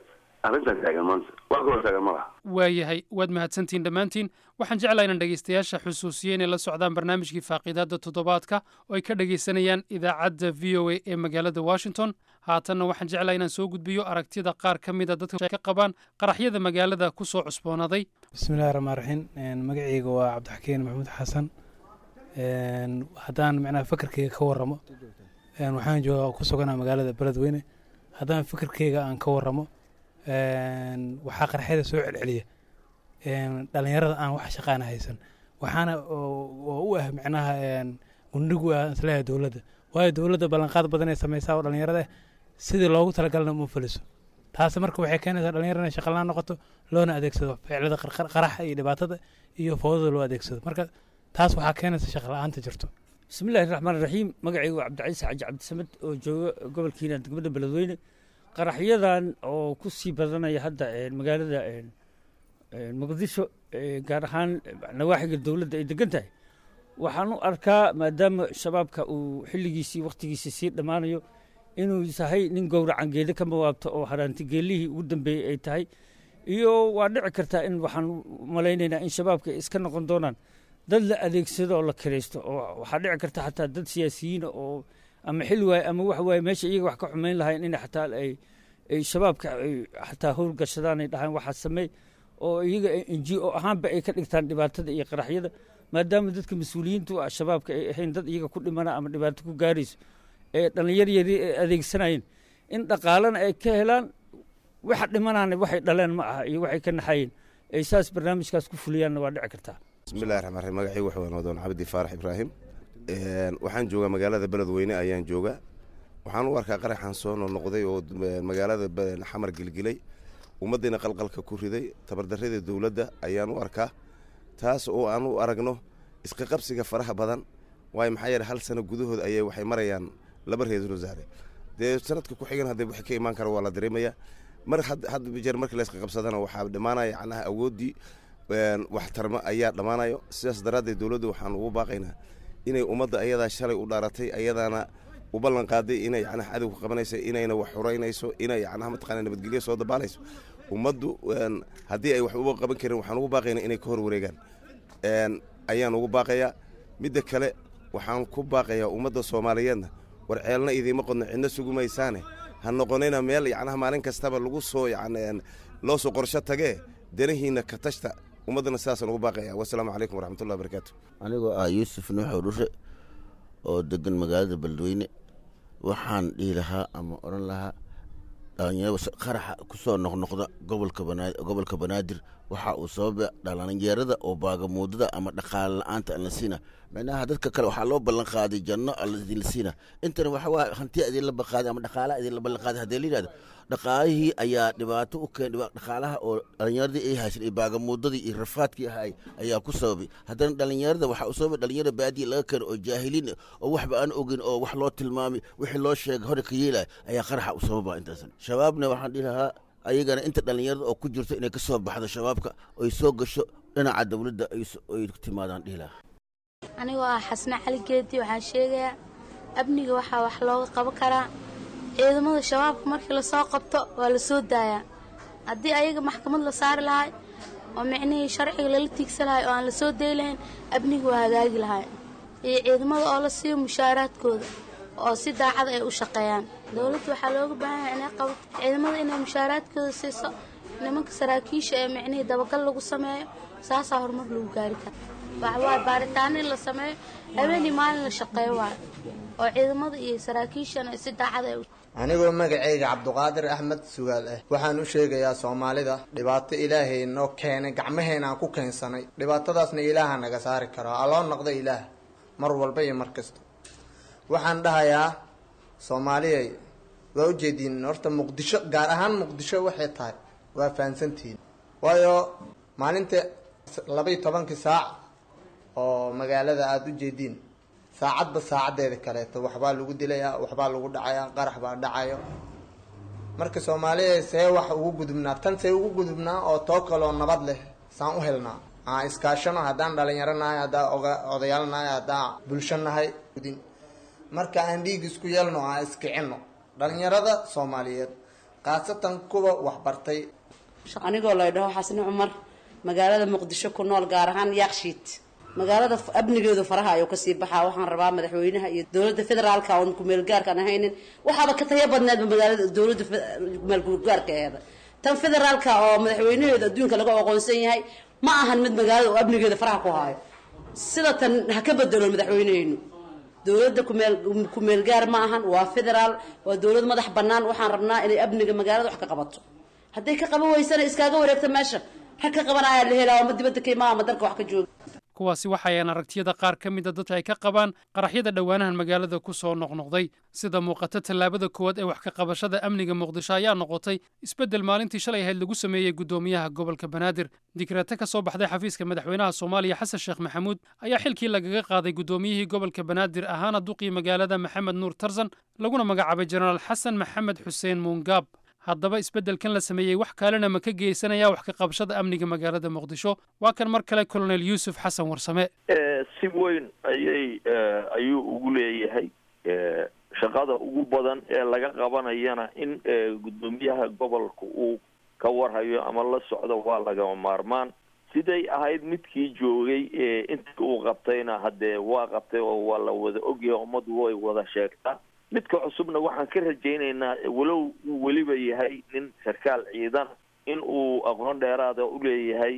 arrintan taagan maanta. Wax kaloo taagan ma laha. Waayahay, waad mahadsantihiin dhammaantiin. Waxaan jeclahay inaan dhegaystayaasha xusuusiye inay la socdaan barnaamijkii faaqiidaadda toddobaadka oo ay ka dhegaysanayaan idaacadda VOA ee magaalada Washington. Haatanna waxaan jeclahay inaan soo gudbiyo aragtida qaar ka mida dadka ka qabaan qaraxyada magaalada ku soo cusboonaaday. Bismillahi raxmaan raxiim. Magacayga waa Cabdixakiin Maxamuud Xasan. Haddaan macnaha fakarkeyga ka warramo, waxaan joogaa ku suganaa magaalada Beledweyne. Haddaan fikirkeyga aan ka warramo, waxaa qarxyada soo celceliya dhalinyarada aan wax shaqaana haysan, waxaana oo u ah macnaha gundhig u ah isleeyahay dowladda, waayo dowladda ballanqaad badan ay sameysaa oo dhalinyarada sidii loogu talagalna uma fuliso. Taasi marka waxay keenaysaa dhalinyarada inay shaqalaan noqoto, loona adeegsado ficilada qaraxa iyo dhibaatada iyo fowdada loo adeegsado. Marka taas waxaa keenaysa shaqa la-aanta jirto. Bismillahi raxmaan raxiim. Magacaygu waa Cabdicasiis Xaaji Cabdisamed oo jooga gobolkiina degmada Beledweyne. Qaraxyadan oo ku sii badanaya hadda magaalada Muqdisho, gaar ahaan nawaaxiga dowladda ay degan tahay, waxaan u arkaa maadaama Shabaabka uu xilligiisii wakhtigiisii sii dhammaanayo, inuu yahay nin gowracan geeda ka mawaabto oo haraantigeelihii ugu dambeeyey ay tahay. Iyo waa dhici kartaa in waxaan malaynaynaa in Shabaabka ay iska noqon doonaan dad la adeegsado oo la kiraysto, oo waxaa dhici karta xataa dad siyaasiyiina oo ama xil waaye ama wax waaye meesha iyaga wax ka xumayn lahayn in xataa ay Shabaabka ay xataa howlgashadaan, ay dhahaan waxaa sameey, oo iyaga NGO ahaanba ay ka dhigtaan dhibaatada iyo qaraxyada, maadaama dadka mas-uuliyiintu ah Shabaabka ay ahayn dad iyaga ku dhimana ama dhibaato ku gaarayso ee dhallinyar yari ay adeegsanayeen in dhaqaalena ay ka helaan, waxa dhimanaana waxay dhaleen ma aha iyo waxay ka naxayeen ay saas barnaamijkaas ku fuliyaanna waa dhici kartaa. Bismillahi raxmaan raxiim. Magacaygu waxa weyn Wadoon Cabdi Faarax Ibraahim. Waxaan joogaa magaalada Beledweyne ayaan joogaa. Waxaan u arkaa qaraxan soo noqnoqday oo magaalada Xamar gilgilay, ummaddiina qalqalka ku riday, tabardarrada dowladda ayaan u arkaa, taas oo aan u aragno iska qabsiga faraha badan. Waayo, maxaa yeele, hal sano gudahood ayay waxay marayaan laba ra-iisul wasaare. Dee sanadka ku xigan haddee wixii ka imaan kara waa la dareemayaa. Mar had jeer markii la iska qabsadana waxaa dhammaanaya yacnaha awooddii waxtarmo ayaa dhammaanayo. Sidaas daraaddeed dowladda waxaan ugu baaqaynaa inay ummadda ayadaa shalay u dhaaratay, ayadaana u ballan qaaday inay yacnaha cadowga qabanayso, inayna wax xureynayso, inay yacnaha mataqaana nabadgelyo soo dabaalayso. Ummaddu haddii ay wax uba qaban karin, waxaan ugu baaqaynaa inay ka hor wareegaan ayaan ugu baaqayaa. Midda kale, waxaan ku baaqayaa ummadda Soomaaliyeedna: war ceelna idiima qodno, cidna sugumaysaane, ha noqonina meel yacnaha maalin kastaba lagu soo yacni loo soo qorsho tagee, danahiina ka tashta. Ummaddana sidaasaan ugu baaqaya. Wasalaamu calaykum waraxmatullahi wabarakaatu. Anigoo ah Yuusuf Nuuxow Dhushe oo degan magaalada Beledweyne, waxaan dhihi lahaa ama odhan lahaa dhalinyarada qaraxa ku soo noqnoqda gobolka Banaadir waxa uu sababa dhalinyarada oo baagamuudada ama dhaqaale la-aanta aan la siina. Micnaha dadka kale waxaa loo ballan qaaday janno alla idinla siina, intana waxa waa hantiya idinla balqaaday ama dhaqaalaha idinla ballan qaaday. Haddii la yidhahdo dhaqaalihii ayaa dhibaato u keen, dhaqaalaha oo dhalinyaradii ay haysan iyo baagamuudadii iyo rafaadkii ahay ayaa ku sababay. Haddana dhalinyarada waxaa u sababay dhalinyarada baadiya laga keeno oo jaahiliin oo waxba aan ogin oo wax loo tilmaamay, wixii loo sheegay hore ka yeelaya ayaa qaraxa u sababa intaasan. Shabaabna waxaan dhihi lahaa ayagana inta dhalinyarada oo ku jirto inay ka soo baxdo Shabaabka oy soo gasho dhinaca dowladda ay timaadaan dhihi lahaa. Anigoo ah Xasne Cali Geedi, waxaan sheegayaa amniga waxaa wax looga qaban karaa ciidamada Shabaabka markii lasoo qabto waa la soo daayaa. Haddii ayaga maxkamad la saari lahay oo micnihii sharciga lala tiigsan lahay oo aan la soo dayi lahayn, amniga waa hagaagi lahay. Iyo ciidamada oo la siiyo mushaaraadkooda oo si daacad ay u shaqeeyaan. Dowladda waxaa looga baahan yahay inay qabato ciidamada, inay mushaaraadkooda siiso nimanka saraakiisha ee micnihii dabagal lagu sameeyo. Saasaa horumar lagu gaari kara. Waxawaaye baaritaano in la sameeyo, habeenii maalin la shaqeeyo waayo, oo ciidamada iyo saraakiishana si daacad ay Anigoo magacayga Cabduqaadir Axmed Sugaal ah, waxaan u sheegayaa Soomaalida dhibaato Ilaahay noo keenay, gacmaheena aan ku keensanay. Dhibaatadaasna Ilaaha naga saari karo. Aloo noqda Ilaah mar walba iyo mar kasta. Waxaan dhahayaa Soomaaliyay, waa ujeediin horta Muqdisho, gaar ahaan Muqdisho waxay tahay waa fahansantihiin. Waayo, maalinta 12-kii saac oo magaalada aada u jeediin, saacadba saacaddeeda kaleeto waxbaa lagu dilayaa, waxbaa lagu dhacayaa, qarax baa dhacayo. Marka Soomaaliya see wax ugu gudubnaa tan, see ugu gudubnaa oo too kaloo nabad leh saan u helnaa? Aan iskaashano haddaan dhalinyaro nahay, haddaan odayaal nahay, haddaan bulsho nahay. Marka aan dhiig isku yeelno, aan iskicino dhalinyarada Soomaaliyeed, khaasatan kuwa waxbartay. Anigoo la dhaho Xasni Cumar, magaalada Muqdisho ku nool, gaar ahaan Yaaqshiid, magaalada amnigeedu faraha ayuu kasii baxaa. Waxaan rabaa madaxweynaha iyo dowladda federaalka oon kumeelgaarkaan ahaynin, waxaaba ka tayo badneedba magaalada dowladda kumeelgaarka aheeda. Tan federaalka oo madaxweynaheedu adduunka laga aqoonsan yahay ma ahan mid magaalada oo amnigeeda faraha ku haayo. Sida tan ha ka bedelo madaxweyneheynu. Dowladda kumeelgaar ma ahan, waa federaal, waa dowlad madax bannaan. Waxaan rabnaa inay amniga magaalada wax ka qabato. Hadday ka qaban weysana iskaaga wareegta meesha, rag ka qabanaya la helaa ama dibadda ka imaa ama dalka wax ka jooga. Kuwaasi waxayaan aragtiyada qaar ka mida dadka ay ka qabaan qaraxyada dhowaanahan magaalada ku soo noqnoqday. Sida muuqata, tallaabada koowaad ee wax ka qabashada amniga Muqdisho ayaa noqotay isbeddel maalintii shalay ahayd lagu sameeyey guddoomiyaha gobolka Banaadir. Dikraate ka soo baxday xafiiska madaxweynaha Soomaaliya Xasan Sheekh Maxamuud ayaa xilkii lagaga qaaday guddoomiyihii gobolka Banaadir ahaana duqii magaalada Maxamed Nuur Tarsan, laguna magacaabay Jenaraal Xasan Maxamed Xuseen Muungaab. Haddaba isbeddelkan la sameeyey wax kalena ma ka geysanaya wax ka qabashada amniga magaalada Muqdisho? Waa kan mar kale Colonel Yuusuf Xasan Warsame. Si weyn ayay ayuu ugu leeyahay shaqada ugu badan ee laga qabanayana in guddoomiyaha gobolka uu ka warhayo ama la socdo waa lagama maarmaan. Siday ahayd midkii joogay, intii uu qabtayna haddee waa qabtay oo waa la wada ogyahay, ummaddu way wada sheegtaa. Midka cusubna waxaan ka rajaynaynaa, walow uu weliba yahay nin sarkaal ciidan, in uu aqoon dheeraada u leeyahay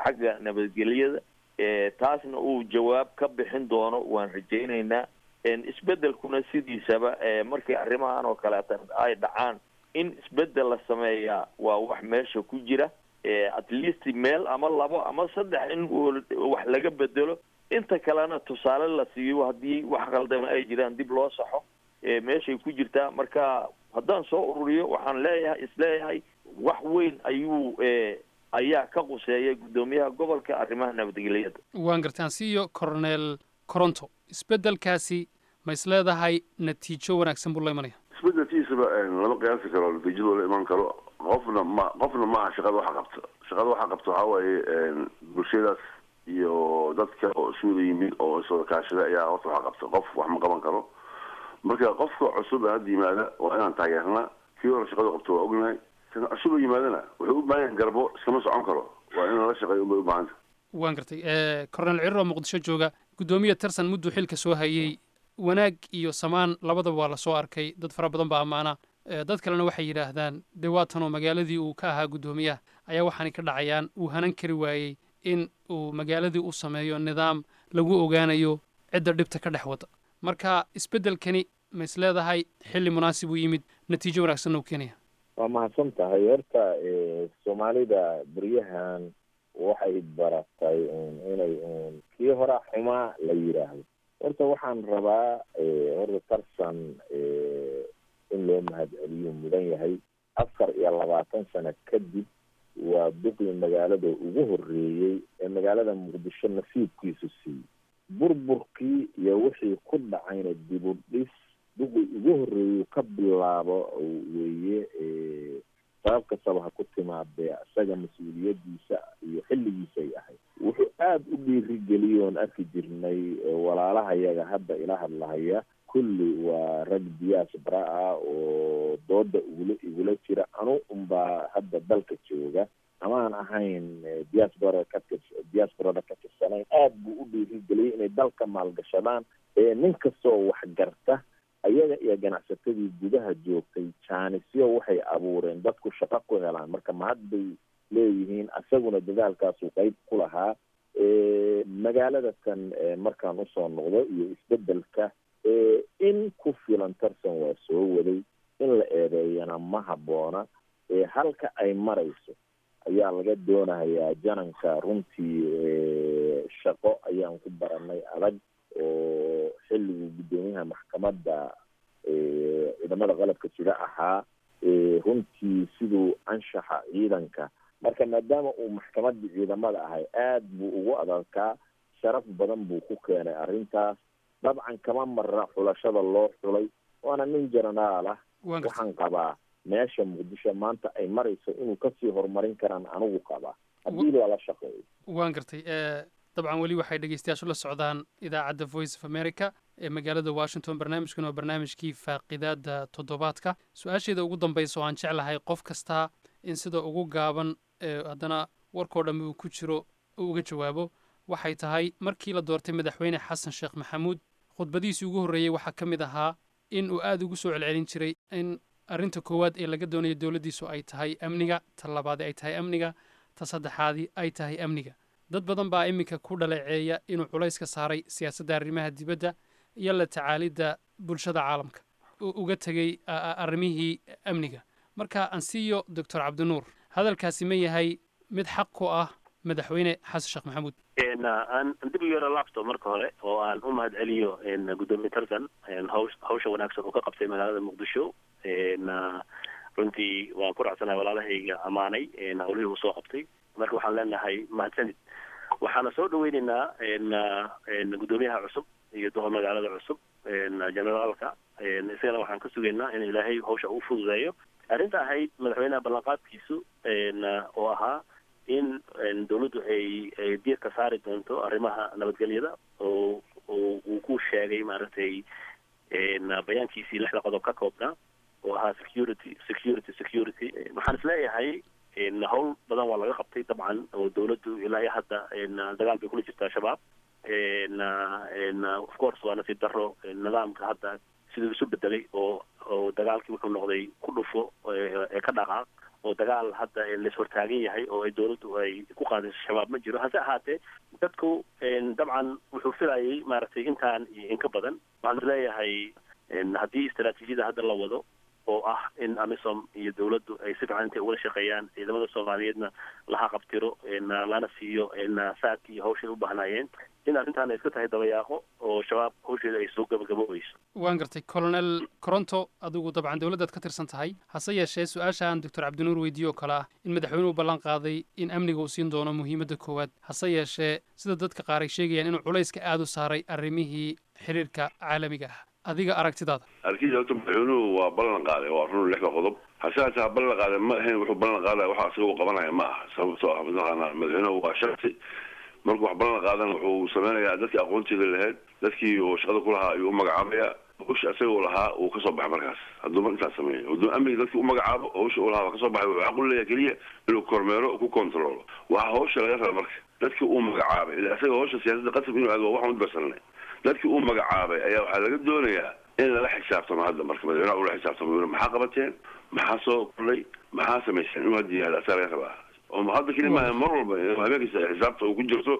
xagga nabadgelyada, taasna uu jawaab ka bixin doono waan rajaynaynaa. Isbeddelkuna sidiisaba markii arrimahan oo kaleeta ay dhacaan, in isbeddel la sameeyaa waa wax meesha ku jira, at least meel ama labo ama saddex in wax laga bedelo, inta kalena tusaale la siiyo, haddii wax qaldama ay jiraan dib loo saxo, meeshay ku jirtaa. Marka haddaan soo ururiyo, waxaan leeyahay, isleeyahay wax weyn ayuu ayaa ka quseeya guddoomiyaha gobolka arrimaha nabadgelyada. Waan gartaan. Siiyo Cornel Coronto, isbeddelkaasi ma is leedahay natiijo wanaagsan buu la imanaya? Isbedelkiisaba lama qiyaasi karo natiijadu la iman karo. Qofna ma qofna maaha shaqada waxa qabta. Shaqada waxa qabta waxaa waaye bulshadaas iyo dadka oo isuwada yimid oo iswada kaashada ayaa horta waxa qabta. Qof wax ma qaban karo. Marka qofka cusub ee hadda yimaada waa inaan taageernaa. Kii hore shaqada qabto waa ognahay, kan cusub ee yimaadana wuxuu u baahan yahay garbo, iskama socon karo, waa in lala shaqeeyo unbay u baahanta. Waan gartay. Cornel Cirro, Muqdisho jooga, guddoomiye Tarsan mudduu xilka soo hayey, wanaag iyo samaan labadaba waa lasoo arkay. Dad fara badan baa ammaana, dad kalena waxay yidhaahdaan dee waa tanoo magaaladii uu ka ahaa guddoomiyaha ayaa waxaanay ka dhacayaan, uu hanan kari waayey in uu magaaladii u sameeyo nidaam lagu ogaanayo cidda dhibta ka dhex wada. Marka isbeddelkani ma is leedahay xilli munaasib uu yimid, natiijo wanaagsanna uu keenaya? Waa mahadsan tahay. Horta Soomaalida beryahan waxay baratay un inay un kii horaa xumaa la yidhaahdo. Horta waxaan rabaa horta Tarsan in loo mahadceliyo mudan yahay. 24 sano kadib waa duqii magaalada ugu horreeyey ee magaalada Muqdisho nasiibkiisu siiyey burburkii iyo wixii ku dhacayna dib u dhis duqii ugu horreeyey ka bilaabo weeye. Sabab kastaba ha ku timaadee, isaga mas-uuliyadiisa iyo xilligiisay ahayd. Wuxuu aada u dhiirigeliyey oon arki jirnay walaalahayaga hadda ila hadlahaya kulli waa rag diaspora ah oo dooda igula igula jira, anu unbaa hadda dalka jooga amaan ahayn diaspora ka tir diasporada ka tirsanayn. Aada buu u dhiirigeliyey inay dalka maalgashadaan, nin kastoo wax garta ayaga iyo ganacsatadii gudaha joogtay jaanisyo waxay abuureen dadku shaqo ku helaan. Marka mahad bay leeyihiin, asaguna dadaalkaasuu qeyb ku lahaa. Magaalada tan markaan usoo noqdo iyo isbedelka, in ku filan Tarsan waa soo waday, in la eedeeyana ma habboona. Halka ay marayso ayaa laga doonayaa jananka. Runtii shaqo ayaan ku baranay adag oo xilligii guddoomiyaha maxkamadda ciidamada qalabka sida ahaa, runtii siduu anshaxa ciidanka, marka maadaama uu maxkamadda ciidamada ahay aad buu ugu adarkaa, sharaf badan buu ku keenay arrintaas. Dabcan kama marra xulashada loo xulay, waana nin jenaraal ah. Waxaan qabaa meesha Muqdisho maanta ay marayso inuu kasii horumarin karaan anigu qabaa haddii lala shaqeeyo. Waan gartay. Dabcan weli waxay dhegeystayaashu la socdaan idaacadda Voice of America ee magaalada Washington. Barnaamijkan waa barnaamijkii faaqidaada toddobaadka. Su-aasheeda ugu dambaysa oo aan jeclahay qof kastaa in sida ugu gaaban haddana warkoo dhammi uu ku jiro uu uga jawaabo waxay tahay: markii la doortay madaxweyne Xasan Sheekh Maxamuud, khudbadiisii ugu horreeyey waxaa ka mid ahaa in uu aada ugu soo celcelin jiray in arrinta koowaad ee laga doonayo dowladdiisu ay tahay amniga, ta labaadi ay tahay amniga, ta saddexaadi ay tahay amniga. Dad badan baa iminka ku dhaleeceeya inuu culays ka saaray siyaasadda arrimaha dibadda iyo la tacaalidda bulshada caalamka, uu uga tegey arrimihii amniga. Marka ansiiyo Doctor Cabdinuur, hadalkaasi ma yahay mid xaq ku ah madaxweyne Xasan Sheekh Maxamuud? Aan dib u yaro laabto marka hore oo aan u mahad celiyo guddoomiye Tarsan hawsha wanaagsan uu ka qabtay magaalada Muqdisho. Runtii waan ku raacsanahay walaalahayga ammaanay hawlihii uu soo qabtay. Marka waxaan leenahay mahadsanid, waxaana soo dhaweyneynaa guddoomiyaha cusub iyo duqa magaalada cusub, generaalka. Isagana waxaan ka sugaynaa in Ilaahay hawsha uu fududeeyo. Arrinta ahayd madaxweynaha ballanqaadkiisu oo ahaa in dowladdu ay diirka saari doonto arrimaha nabadgelyada, oo uu ku sheegay maaragtay bayaankiisii lixda qodob ka koobnaa oo ahaa security, security, security. Waxaan isleeyahay hawl badan waa laga qabtay dabcan, oo dowladdu ilaa iyo hadda dagaal bay kula jirtaa Shabaab. Of course waa nasiib darro nidaamka hadda siduu isu bedelay, oo dagaalkii wuxuu noqday ku dhufo ee ka dhaqaaq, oo dagaal hadda lais hortaagan yahay oo ay dowladdu ay ku qaadayso Shabaab ma jiro. Hase ahaatee dadku dabcan wuxuu filayay maaragtay intaan iyo inka badan. Waxaan isleeyahay haddii istaraatiijiyada hadda la wado oo ah in AMISOM iyo dowladdu ay si fiican intay ugala shaqeeyaan, ciidamada Soomaaliyeedna laha qabtiro, lana siiyo saadkii iyo hawshay u baahnaayeen, in arrintaan ay iska tahay dabayaaqo oo Shabaab hawsheeda ay soo gabagaboobayso. Waan gartay, Colonel Coronto. Adigu dabcan dowladdaad ka tirsan tahay, hase yeeshee su-aasha aan Doctor Cabdinuur weydiiye oo kale ah in madaxweynuhu ballan qaaday in amniga uu siin doono muhiimadda koowaad, hase yeeshee sida dadka qaar ay sheegayaan inuu culayska aada u saaray arrimihii xiriirka caalamiga ah, adiga aragtidaada? Arkiisa horta madaxweynuhu waa ballan qaaday, waa run, lixda qodob. Hase haatee ha ballan qaaday ma ahayn wuxuu ballan qaadaya waxa asaga uu qabanaya ma aha, sababtoo ah mataqaanaa madaxweynuhu waa shaksi. Markuu wax ballan qaadana wuxuu sameynayaa dadkii aqoonteeda lahayd, dadkii uu shaqada ku lahaa ayuu u magacaabaya. Hawsha isaga uu lahaa uu kasoo baxay. Markaas hadduu mar intaas sameeyo, hadduu amniga dadkii u magacaabo, hawsha uu lahaa waa kasoo baxay. Wuxuu xaq u leeyahay keliya inuu kormeero, ku kontrolo waxa hawsha laga raba. Marka dadkii uu magacaabay, ila isaga hawsha siyaasadda qasab inuu aado waa waxaan u darsanay, dadkii uu magacaabay ayaa waxaa laga doonayaa in lala xisaabtamo hadda. Marka madaxweynaha ula xisaabtamo, maxaa qabateen, maxaa soo kordhay, maxaa samayseen, inuu hadda yihahdo asaa laga rabaa. Oo hadda keli maaha, mar walba habeenkiisa xisaabta uu ku jirto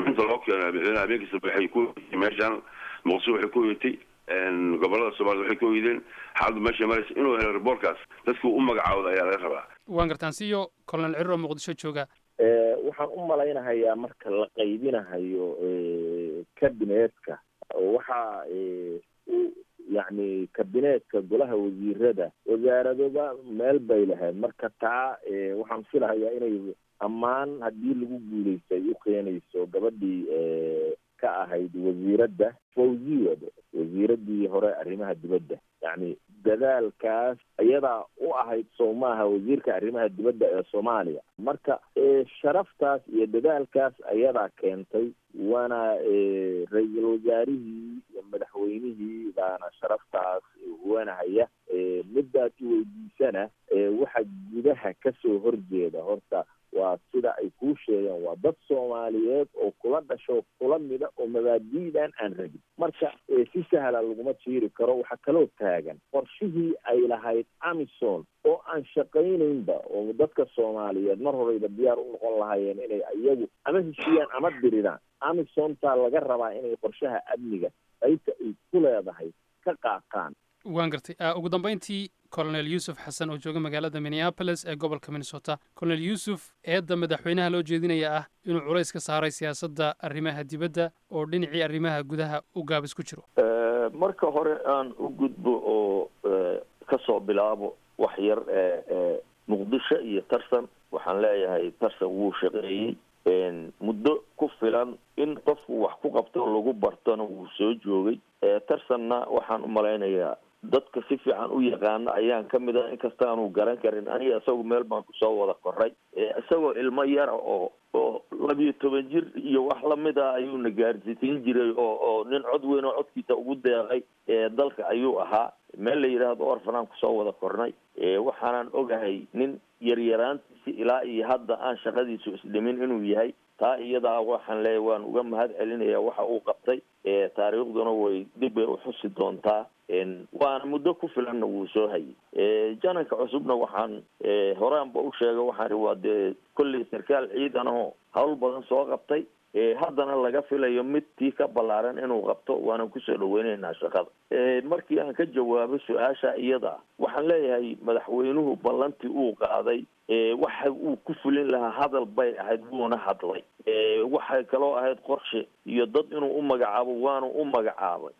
inta loo keeno madaxweynaha habeenkiisa waxay ku meeshaan Muqdisho waxay ku hoyatay, gobolada Soomaalida waxay ku hoydeen, xaaladdu meesha maraysa inuu helo riboorkaas dadkii u magacaawda ayaa laga rabaa. Waan gartaan siyo Colonel Cirro Muqdisho jooga. Waxaan u malaynahayaa marka la qaybinahayo kabineetka, waxaa yacni kabineetka golaha wasiirada wasaaradoba meel bay lahayd. Marka taa waxaan filahayaa inay ammaan haddii lagu guulaystay ay u keenayso gabadhii ka ahayd wasiiradda Fawziya, wasiiraddii hore arrimaha dibadda. Yacni dadaalkaas iyadaa u ahayd, sow maaha wasiirka arrimaha dibadda ee Soomaaliya? Marka sharaftaas iyo dadaalkaas ayadaa keentay, waana ra-iisul wasaarihii iyo madaxweynihii baana sharaftaas wanahaya. Midaad i weydiisana, waxa gudaha kasoo horjeeda horta waa sida ay kuu sheegeen, waa dad Soomaaliyeed oo kula dhasho, kula mida, oo mabaadi'dan aan rabin. Marka si sahla laguma jiiri karo. Waxaa kaloo taagan qorshihii ay lahayd AMISOM oo aan shaqaynaynba, oo dadka Soomaaliyeed mar horeyba diyaar u noqon lahaayeen inay iyagu ama heshiiyaan ama diriraan. AMISOMtaa laga rabaa inay qorshaha amniga qaybta ay ku leedahay ka qaataan. Waan gartay. Ugu dambeyntii, Colonel Yuusuf Xasan oo jooga magaalada Minneapolis ee gobolka Minnesota. Colonel Yuusuf, eedda madaxweynaha loo jeedinaya ah inuu culays ka saaray siyaasadda arrimaha dibadda oo dhinacii arrimaha gudaha u gaabis ku jiro. Marka hore aan u gudbo oo kasoo bilaabo wax yar Muqdisho iyo Tarsan. Waxaan leeyahay Tarsan wuu shaqeeyey muddo ku filan in qofku wax ku qabto lagu bartona wuu soo joogay. Tarsanna waxaan umalaynayaa dadka si fiican u yaqaana ayaan kamid ah, inkastaanu garan karin. Aniga isagu meel baan kusoo wada koray, isagoo ilmo yara oo 12 jir iyo wax lamid ah ayuuna gaarsiisin jiray, oo nin cod weyn oo codkiisa ugu deeqay dalka ayuu ahaa. Meel la yidhaahdo orfanaan kusoo wada kornay. Waxaanan ogahay nin yaryaraantiisi ilaa iyo hadda aan shaqadiisu isdhimin inuu yahay. Taa iyadaa waxaan leeyahay waan uga mahad celinaya waxa uu qabtay, taariikhduna way dib bay uxusi doontaa, waana muddo ku filanna wuu soo hayay. Jananka cusubna waxaan horaanba u sheegay, waxaan waa dee kolley sarkaal ciidan oo hawl badan soo qabtay, haddana laga filayo mid tii ka ballaaran inuu qabto, waanan kusoo dhaweynaynaa shaqada. Markii aan ka jawaabo su-aasha iyada, waxaan leeyahay madaxweynuhu ballantii uu qaaday waxa uu ku fulin lahaa hadal bay ahayd, wuuna hadlay. Waxay kaloo ahayd qorshe iyo dad inuu u magacaabo, waanu u magacaabay.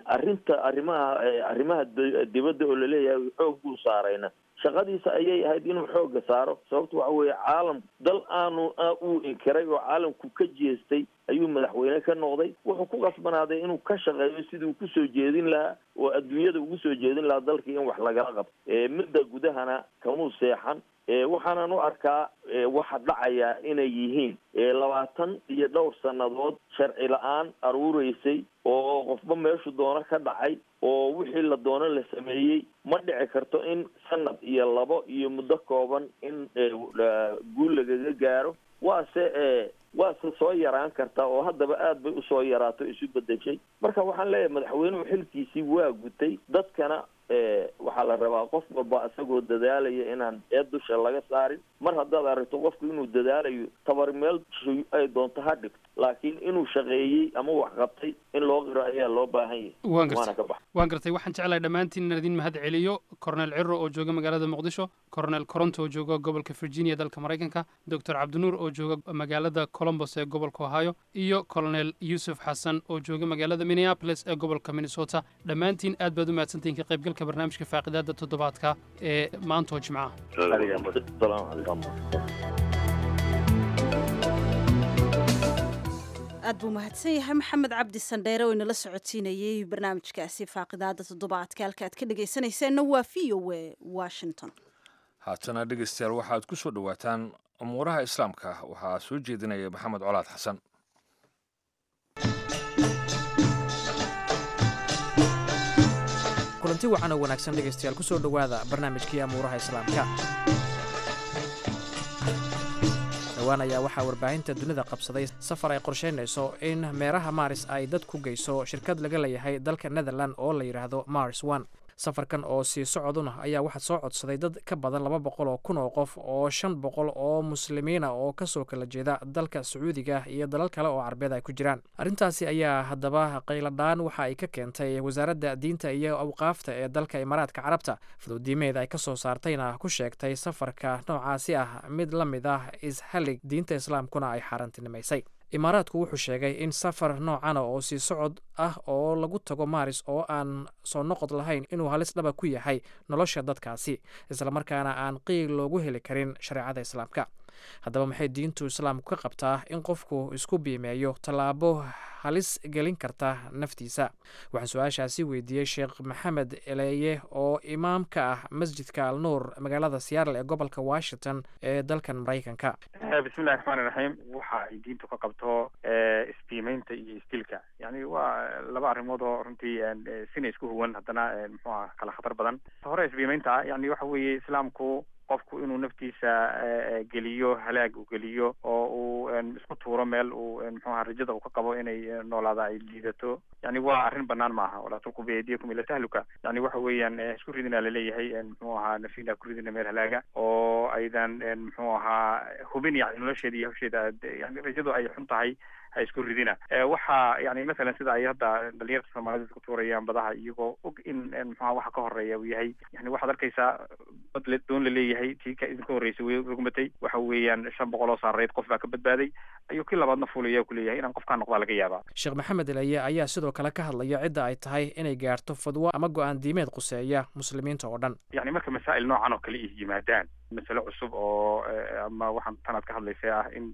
Arrinta arrimaha dibadda oo laleeyahay xoog buu saarayna, Shaqadiisa ayay ahayd inuu xoogga saaro. Sababta waxa weeye, caalam dal aanu uu inkiray oo caalamku ka jeestay ayuu madaxweyne ka noqday. Wuxuu ku qasbanaaday inuu ka shaqeeyo sidii uu kusoo jeedin lahaa oo adduunyada ugu soo jeedin lahaa dalkii in wax lagala qabto. Midda gudahana kamuu seexan. Waxaanan u arkaa waxa dhacaya inay yihiin 20 iyo dhowr sannadood sharci la-aan aruureysay oo qofba meeshu doono ka dhacay oo wixii la doono la sameeyey. Ma dhici karto in sanad iyo labo iyo muddo kooban in guul lagaga gaaro. Waase soo yaraan kartaa, oo haddaba aad bay usoo yaraato, isu bedeshay. Marka waxaan leeyahay, madaxweynuhu xilkiisii waa gutay. Dadkana waxaa la rabaa qof walba isagoo dadaalaya inaan eed dusha laga saarin. Mar haddaad aragto qofku inuu dadaalayo, tabar meel ay doonto ha dhigto, laakiin inuu shaqeeyey ama wax qabtay in loo qiro ayaa loo baahan yahay. Waan Waana gartay. ka baxa. Waan gartay. Waxaan jeclahay dhammaantiin inaan idin mahad celiyo: Cornel Ciro oo jooga magaalada Muqdisho, Cornel Coronto oo jooga gobolka Virginia dalka Maraykanka, Doctor Cabdinuur oo jooga magaalada Columbus ee gobolka Ohio, iyo Colonel Yuusuf Xasan oo jooga magaalada Minneapolis ee gobolka Minnesota. Dhammaantiin aad baad u mahadsantihiin ka qaybgalka barnaamijka faaqidaada toddobaadka ee maanta oo Jimcaha. Asalaamu calaykum. Aad buu mahadsan yahay Maxamed Cabdi Sandheere oo inala socotiinayey barnaamijkaasi faaqidaada toddobaadka. Halka aad ka dhegaysanayseena waa VOA Washington. Haatana dhegeystayaal, waxaad ku soo dhowaataan umuuraha Islaamka. Waxaa soo jeedinaya Maxamed Colaad Xasan. Kulanti wacan oo wanaagsan dhegaystayaal, ku soo dhowaada barnaamijkii amuuraha Islaamka. Dhowaan ayaa waxaa warbaahinta dunida qabsaday safar ay qorsheynayso in meeraha Maris ay dad ku geyso shirkad laga leeyahay dalka Netherland oo la yidhaahdo Mars One. Safarkan oo sii socoduna ayaa waxaa soo codsaday dad ka badan 200,000 oo qof oo 500 oo muslimiina oo kasoo kala jeeda dalka Sacuudiga iyo dalal kale oo Carbeed ay ku jiraan. Arrintaasi ayaa haddaba qayladhaan waxa ay ka keentay wasaaradda diinta iyo awqaafta ee dalka Imaaraadka Carabta. Fadwadiimeed ay kasoo saartayna ku sheegtay safarka noocaasi ah mid la mid ah ishalig, diinta Islaamkuna ay xaaraantinimaysay. Imaaraadku wuxuu sheegay in safar noocana oo sii socod ah oo lagu tago Maris oo aan soo noqod lahayn inuu halis dhaba ku yahay nolosha dadkaasi, islamarkaana aan qiil loogu heli karin shareecada Islaamka. Haddaba maxay diintu Islaamku ka qabtaa in qofku isku biimeeyo tallaabo halis gelin karta naftiisa? Waxaan su-aashaasi weydiiyey Sheekh Maxamed Eleeye oo imaam ka ah Masjidka Alnuur magaalada Seattle ee gobolka Washington ee dalkan Maraykanka. Bismillahi raxmaani raxiim. Waxa ay diintu ka qabto isbiimeynta iyo isdilka, yani waa laba arrimood oo runtii sina isku huwan, haddana muxuu aha kala khatar badan. Hore isbiimeynta ah, yani waxa weeye Islaamku qofku inuu naftiisa geliyo halaag uu geliyo oo uu isku tuuro meel uu muxuu aha rajada uu ka qabo inay noolaada ay liidato, yani waa arrin banaan maaha. Walaa tulqu biaydiyakum ila tahluka. Yani waxa weeyaan isku ridina laleeyahay, muxuu ahaa nafina ku ridina meel halaaga oo aydan muxuu ahaa hubin, yani nolosheeda iyo hawsheeda yani rajadu ay xun tahay ha isku ridina. Waxa yani masalan sida ay hadda dhalinyarta Soomaalida isku tuurayaan badaha iyagoo og in muxuaha waxa ka horeeya uu yahay, yani waxaad arkaysaa bad doon la leeyahay tii ka idinka horreysay way rugmatay, waxa weeyaan 500 oo saarayd qof baa ka badbaaday, ayuu kii labaadna fuulaya kuleeyahay inaan qofkaan noqdaa laga yaabaa. Sheekh Maxamed Elaye ayaa sidoo kale ka hadlaya cidda ay tahay inay gaarto fadwo ama go-aan diimeed quseeya muslimiinta oo dhan. Yani marka masaa'il noocan oo kale is yimaadaan, masale cusub oo ama waxaan tanaad ka hadlaysay ah in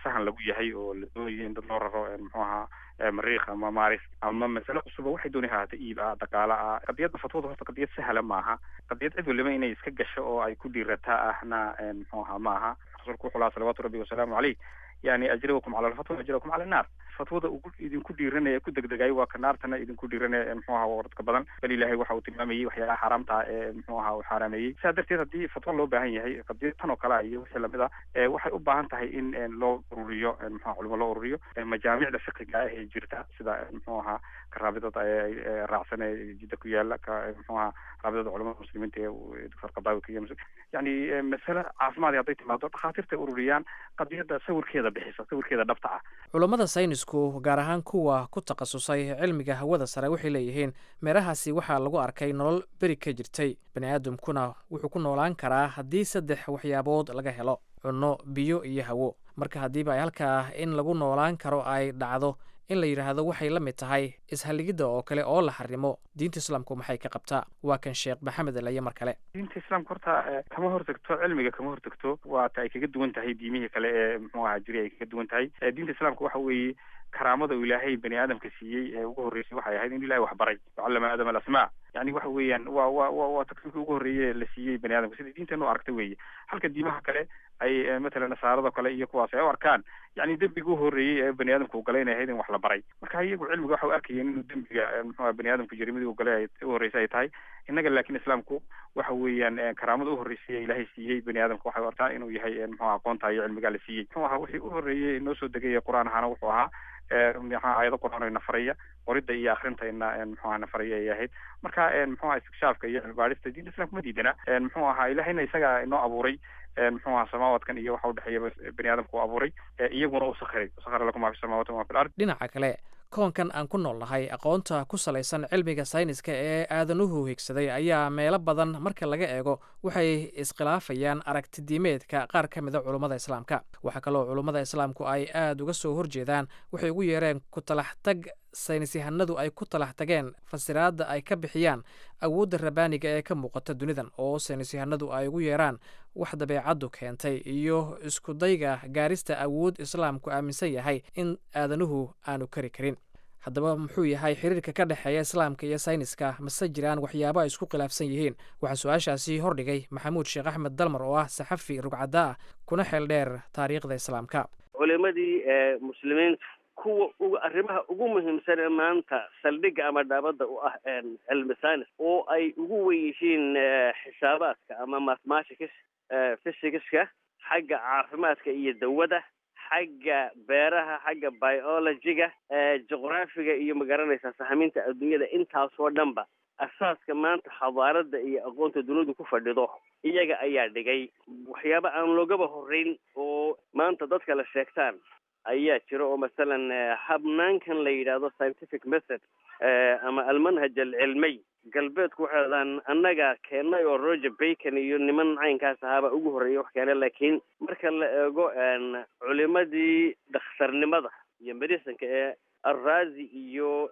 sahan lagu yahay oo la doonayo in dad loo raro muxuu ahaa Mariikh ama Maris, ama masale cusuba waxay doonay hahaata, iib ah, dhaqaale ah, qadiyadda fatwada horta qadiyad sahla maaha. Qadiyad cid waliba inay iska gasho oo ay ku dhiirataa ahna muxuu ahaa maaha. Rasuulku wuxuu lahaa salawaatu rabbi wasalaamu caleyh, yani ajrakum cala alfatwa ajrakum cala annaar. Fatwada ugu idinku dhiiranaya ku degdegayo waa ka naartana idinku dhiiranaya muxuu ahaa waradka badan. Bal Ilaahay waxa uu tilmaamayey waxyaalaha xaaraamta ah ee muxuu ahaa uu xaaraameeyey. Sidaa darteed haddii fatwo loo baahan yahay qadiyad tan oo kale ah iyo wixii lamid ah, waxay u baahan tahay in loo ururiyo muxuu culimo loo ururiyo majaamicda fiqiga ah ee jirta, sida muxuu ahaa ka raabidada raacsan ee Jidda ku yaala, ka muxuu ahaa raabidada culamada muslimiinta ee Doctor Qadaawi ka iyo yani masale caafimaad hadday timaado dhakhaatiirta ay ururiyaan qadiyadda sawirkeeda bixisa, sawirkeeda dhabta ah. Culammada saynisku, gaar ahaan kuwa ku takhasusay cilmiga hawada sare, waxay leeyihiin meerahaasi waxaa lagu arkay nolol beri ka jirtay. Bani aadamkuna wuxuu ku noolaan karaa haddii saddex waxyaabood laga helo: cunno, biyo iyo hawo. Marka haddiiba ay halkaa in lagu noolaan karo ay dhacdo In la yidhaahdo waxay la mid tahay ishalligidda oo kale oo la xarimo, diinta islaamku maxay ka qabtaa? Waa kan Sheekh Maxamed Elaye mar kale. Diinta islaamka horta kama hortagto cilmiga, kama hortagto. Waa ta ay kaga duwan tahay diimihii kale ee muxuu ahaa jiray ay kaga duwan tahay. Diinta islaamka waxa weeye karaamada uu Ilaahay bani aadamka siiyey ee ugu horreysay waxay ahayd in Ilahay wax baray, wacallama aadama alasmaa. Yani waxa weeyaan waa takriimkii ugu horreeye la siiyey bani aadamka, sida diinteenu aragta weeye, halka diimaha kale ay matalan nasaarada kale iyo kuwaas ay u arkaan yani dembiga u horreeyey ee bani aadamku galay inay ahayd in wax la baray. Marka iyagu cilmiga waxa u arkayeen inuu dembiga muxuu ahaa bani aadamku jarimadii uu galay ay u horreysay ay tahay. Innaga laakiin islaamku waxa weeyaan karaamada u horreysay ee Ilaahay siiyey bani aadamka waxay u arkaan inuu yahay muxuu ahaa aqoonta iyo cilmigaa la siiyey. Muxuu ahaa wixii u horreeyey noo soo degay qur-aan ahaana wuxuu ahaa maxaa aayado qur-aan oo nafaraya qoridda iyo akhrinta ina muxuu ahaa nafaraya ay ahayd. Marka muxuu ahaa istikshaafka iyo cilmibaadhista diinta islaamka ma diidana. Muxuu ahaa Ilaahayna isaga inoo abuuray muxuu ahaa samaawadkan iyo waxa udhexeeya bani aadamka uu abuuray, iyaguna u sakhiray, sakhara lakum maa fi samaawaati wa maa fi lard. Dhinaca kale, koonkan aan ku nool nahay aqoonta ku salaysan cilmiga sayniska ee aadanuhu higsaday ayaa meelo badan marka laga eego waxay iskhilaafayaan aragtidiimeedka qaar ka mida culummada islaamka. Waxaa kaloo culummada islaamku ay aada uga soo horjeedaan waxay ugu yeereen ku talaxtag saynisyahanadu ay ku talax tageen fasiraadda ay ka bixiyaan awoodda rabaaniga ee ka muuqata dunidan, oo saynisyahanadu ay ugu yeeraan wax dabeecaddu keentay iyo iskudayga gaarista awood islaamku aaminsan yahay in aadanuhu aanu kari karin. Haddaba muxuu yahay xiriirka ka dhexeeya islaamka iyo sayniska? Mase jiraan waxyaabo ay isku khilaafsan yihiin? Waxaa su-aashaasi hordhigay Maxamuud Sheekh Axmed Dalmar oo ah saxafi rugcadda ah kuna xeel dheer taariikhda islaamka. Culimadii muslimiinta kuwa ugu arrimaha ugu muhiimsan ee maanta saldhigga ama dhaabadda u ah cilmi science oo ay ugu wen yihiin xisaabaadka ama mathematics, physicska, xagga caafimaadka iyo dawada, xagga beeraha, xagga biologyga, juqraafiga iyo magaranaysaa sahaminta adduunyada, intaasoo dhanba asaaska maanta xadaaradda iyo aqoonta dunidu ku fadhido iyaga ayaa dhigay. Waxyaaba aan loogaba horreyn oo maanta dadka la sheegtaan ayaa jira, oo masalan habnaankan la yidhaahdo scientific method ama almanhaj alcilmiy, galbeedku waxay dhahdaan annaga keennay oo Roger Bacon iyo niman caynkaas ahaaba ugu horreeyay wax keenay. Laakiin marka la eego culimadii dhakhtarnimada iyo medicinka ee Alrazi iyo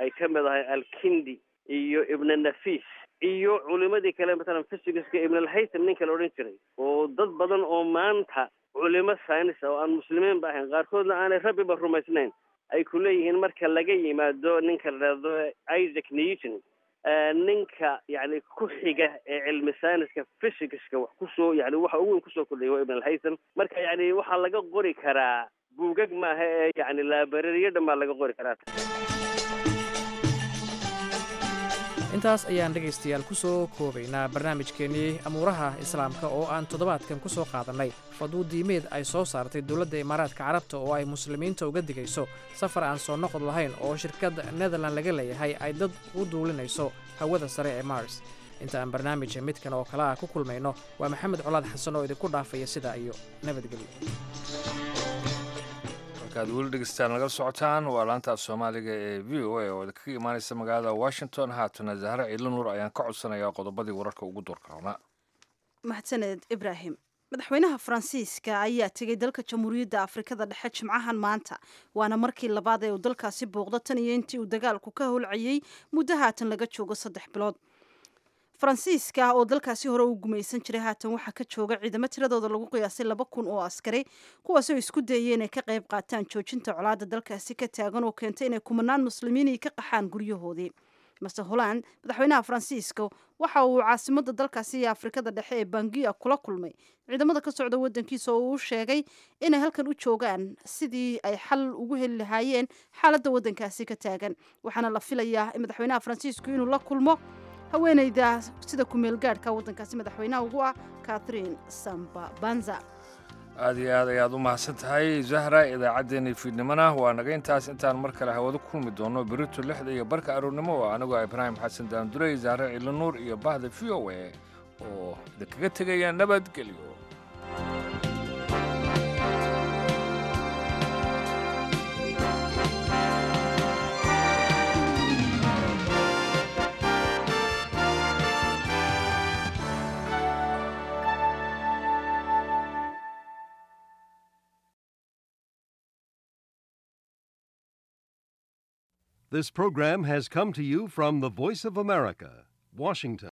ay ka mid ahay Alkindi iyo Ibn Nafis iyo culimadii kale, matalan physicska Ibn Alhaytham ninka la odhan jiray, oo dad badan oo maanta culimo science oo aan muslimiin ba ahayn, qaarkoodna aanay rabbiba rumaysnayn, ay ku leeyihiin marka laga yimaado ninka la dhahdo Isaac Newton, ninka yani ku xiga ee cilmi sayniska physicska wax kusoo yani waxa ugu weyn kusoo kordhiyay waa Ibn Alhaytham. Marka yani waxaa laga qori karaa buugag maaha ee yani laabarariyo dhan baa laga qori karaa. Intaas ayaan dhegaystayaal ku soo koobaynaa barnaamijkeennii amuuraha islaamka oo aan toddobaadkan ku soo qaadannay fadwo diimeed ay soo saartay dowladda Imaaraadka Carabta oo ay muslimiinta uga digayso safar aan soo noqod lahayn oo shirkadda Netherland laga leeyahay ay dad u duulinayso hawada sare ee Mars. Inta aan barnaamija midkan oo kale ah ku kulmayno, waa Maxamed Colaad Xasan oo idinku dhaafaya sidaa iyo nabadgelyo. Halkaad weli dhegeystaan nagala socotaan waa laanta af Soomaaliga ee VOA oo kaga imaaneysa magaalada Washington. Haatana Zahre Ciidla Nuur ayaan ka codsanayaa qodobadii wararka ugu doorka roonaa. Mahadsaned Ibraahim. Madaxweynaha Faransiiska ayaa tegay dalka Jamhuuriyadda Afrikada Dhexe jimcahan maanta, waana markii labaad ee uu dalkaasi booqdo tan iyo intii uu dagaalku ka howlcayey muddo haatan laga joogo 3 bilood. Faransiiska oo dalkaasi hore u gumaysan jiray, haatan waxaa ka jooga ciidamo tiradooda lagu qiyaasay 2000 oo askari, kuwaasoo isku dayay inay ka qayb qaataan joojinta colaadda dalkaasi ka taagan oo keentay inay kumanaan muslimiin ay ka qaxaan guryahoodii. Mister Hollande, madaxweynaha Faransiiska, waxa uu caasimada dalkaasi iyo Afrikada Dhexe ee Bangiya kula kulmay ciidamada ka socda wadankiisa oo uu sheegay inay halkan u joogaan sidii ay xal ugu heli lahaayeen xaaladda wadankaasi ka taagan. Waxaana la filayaa in madaxweynaha Faransiisku inuu la kulmo haweeneyda sida ku-meelgaadhka waddankaasi madaxweynaha ugu ah, Catherine Samba Banza. Aad iyo aad ayaad u mahadsan tahay, Zahra. Idaacaddeenii fiidnimona waa naga intaas. Intaan mar kale hawada ku kulmi doono berito 6:30 aroornimo, oo anigoo Ibraahim Xasan Daandurey, Zahre Ciidla Nuur iyo bahda VOA oo idinkaga tegaya nabadgelyo. This program has come to you from the Voice of America, Washington.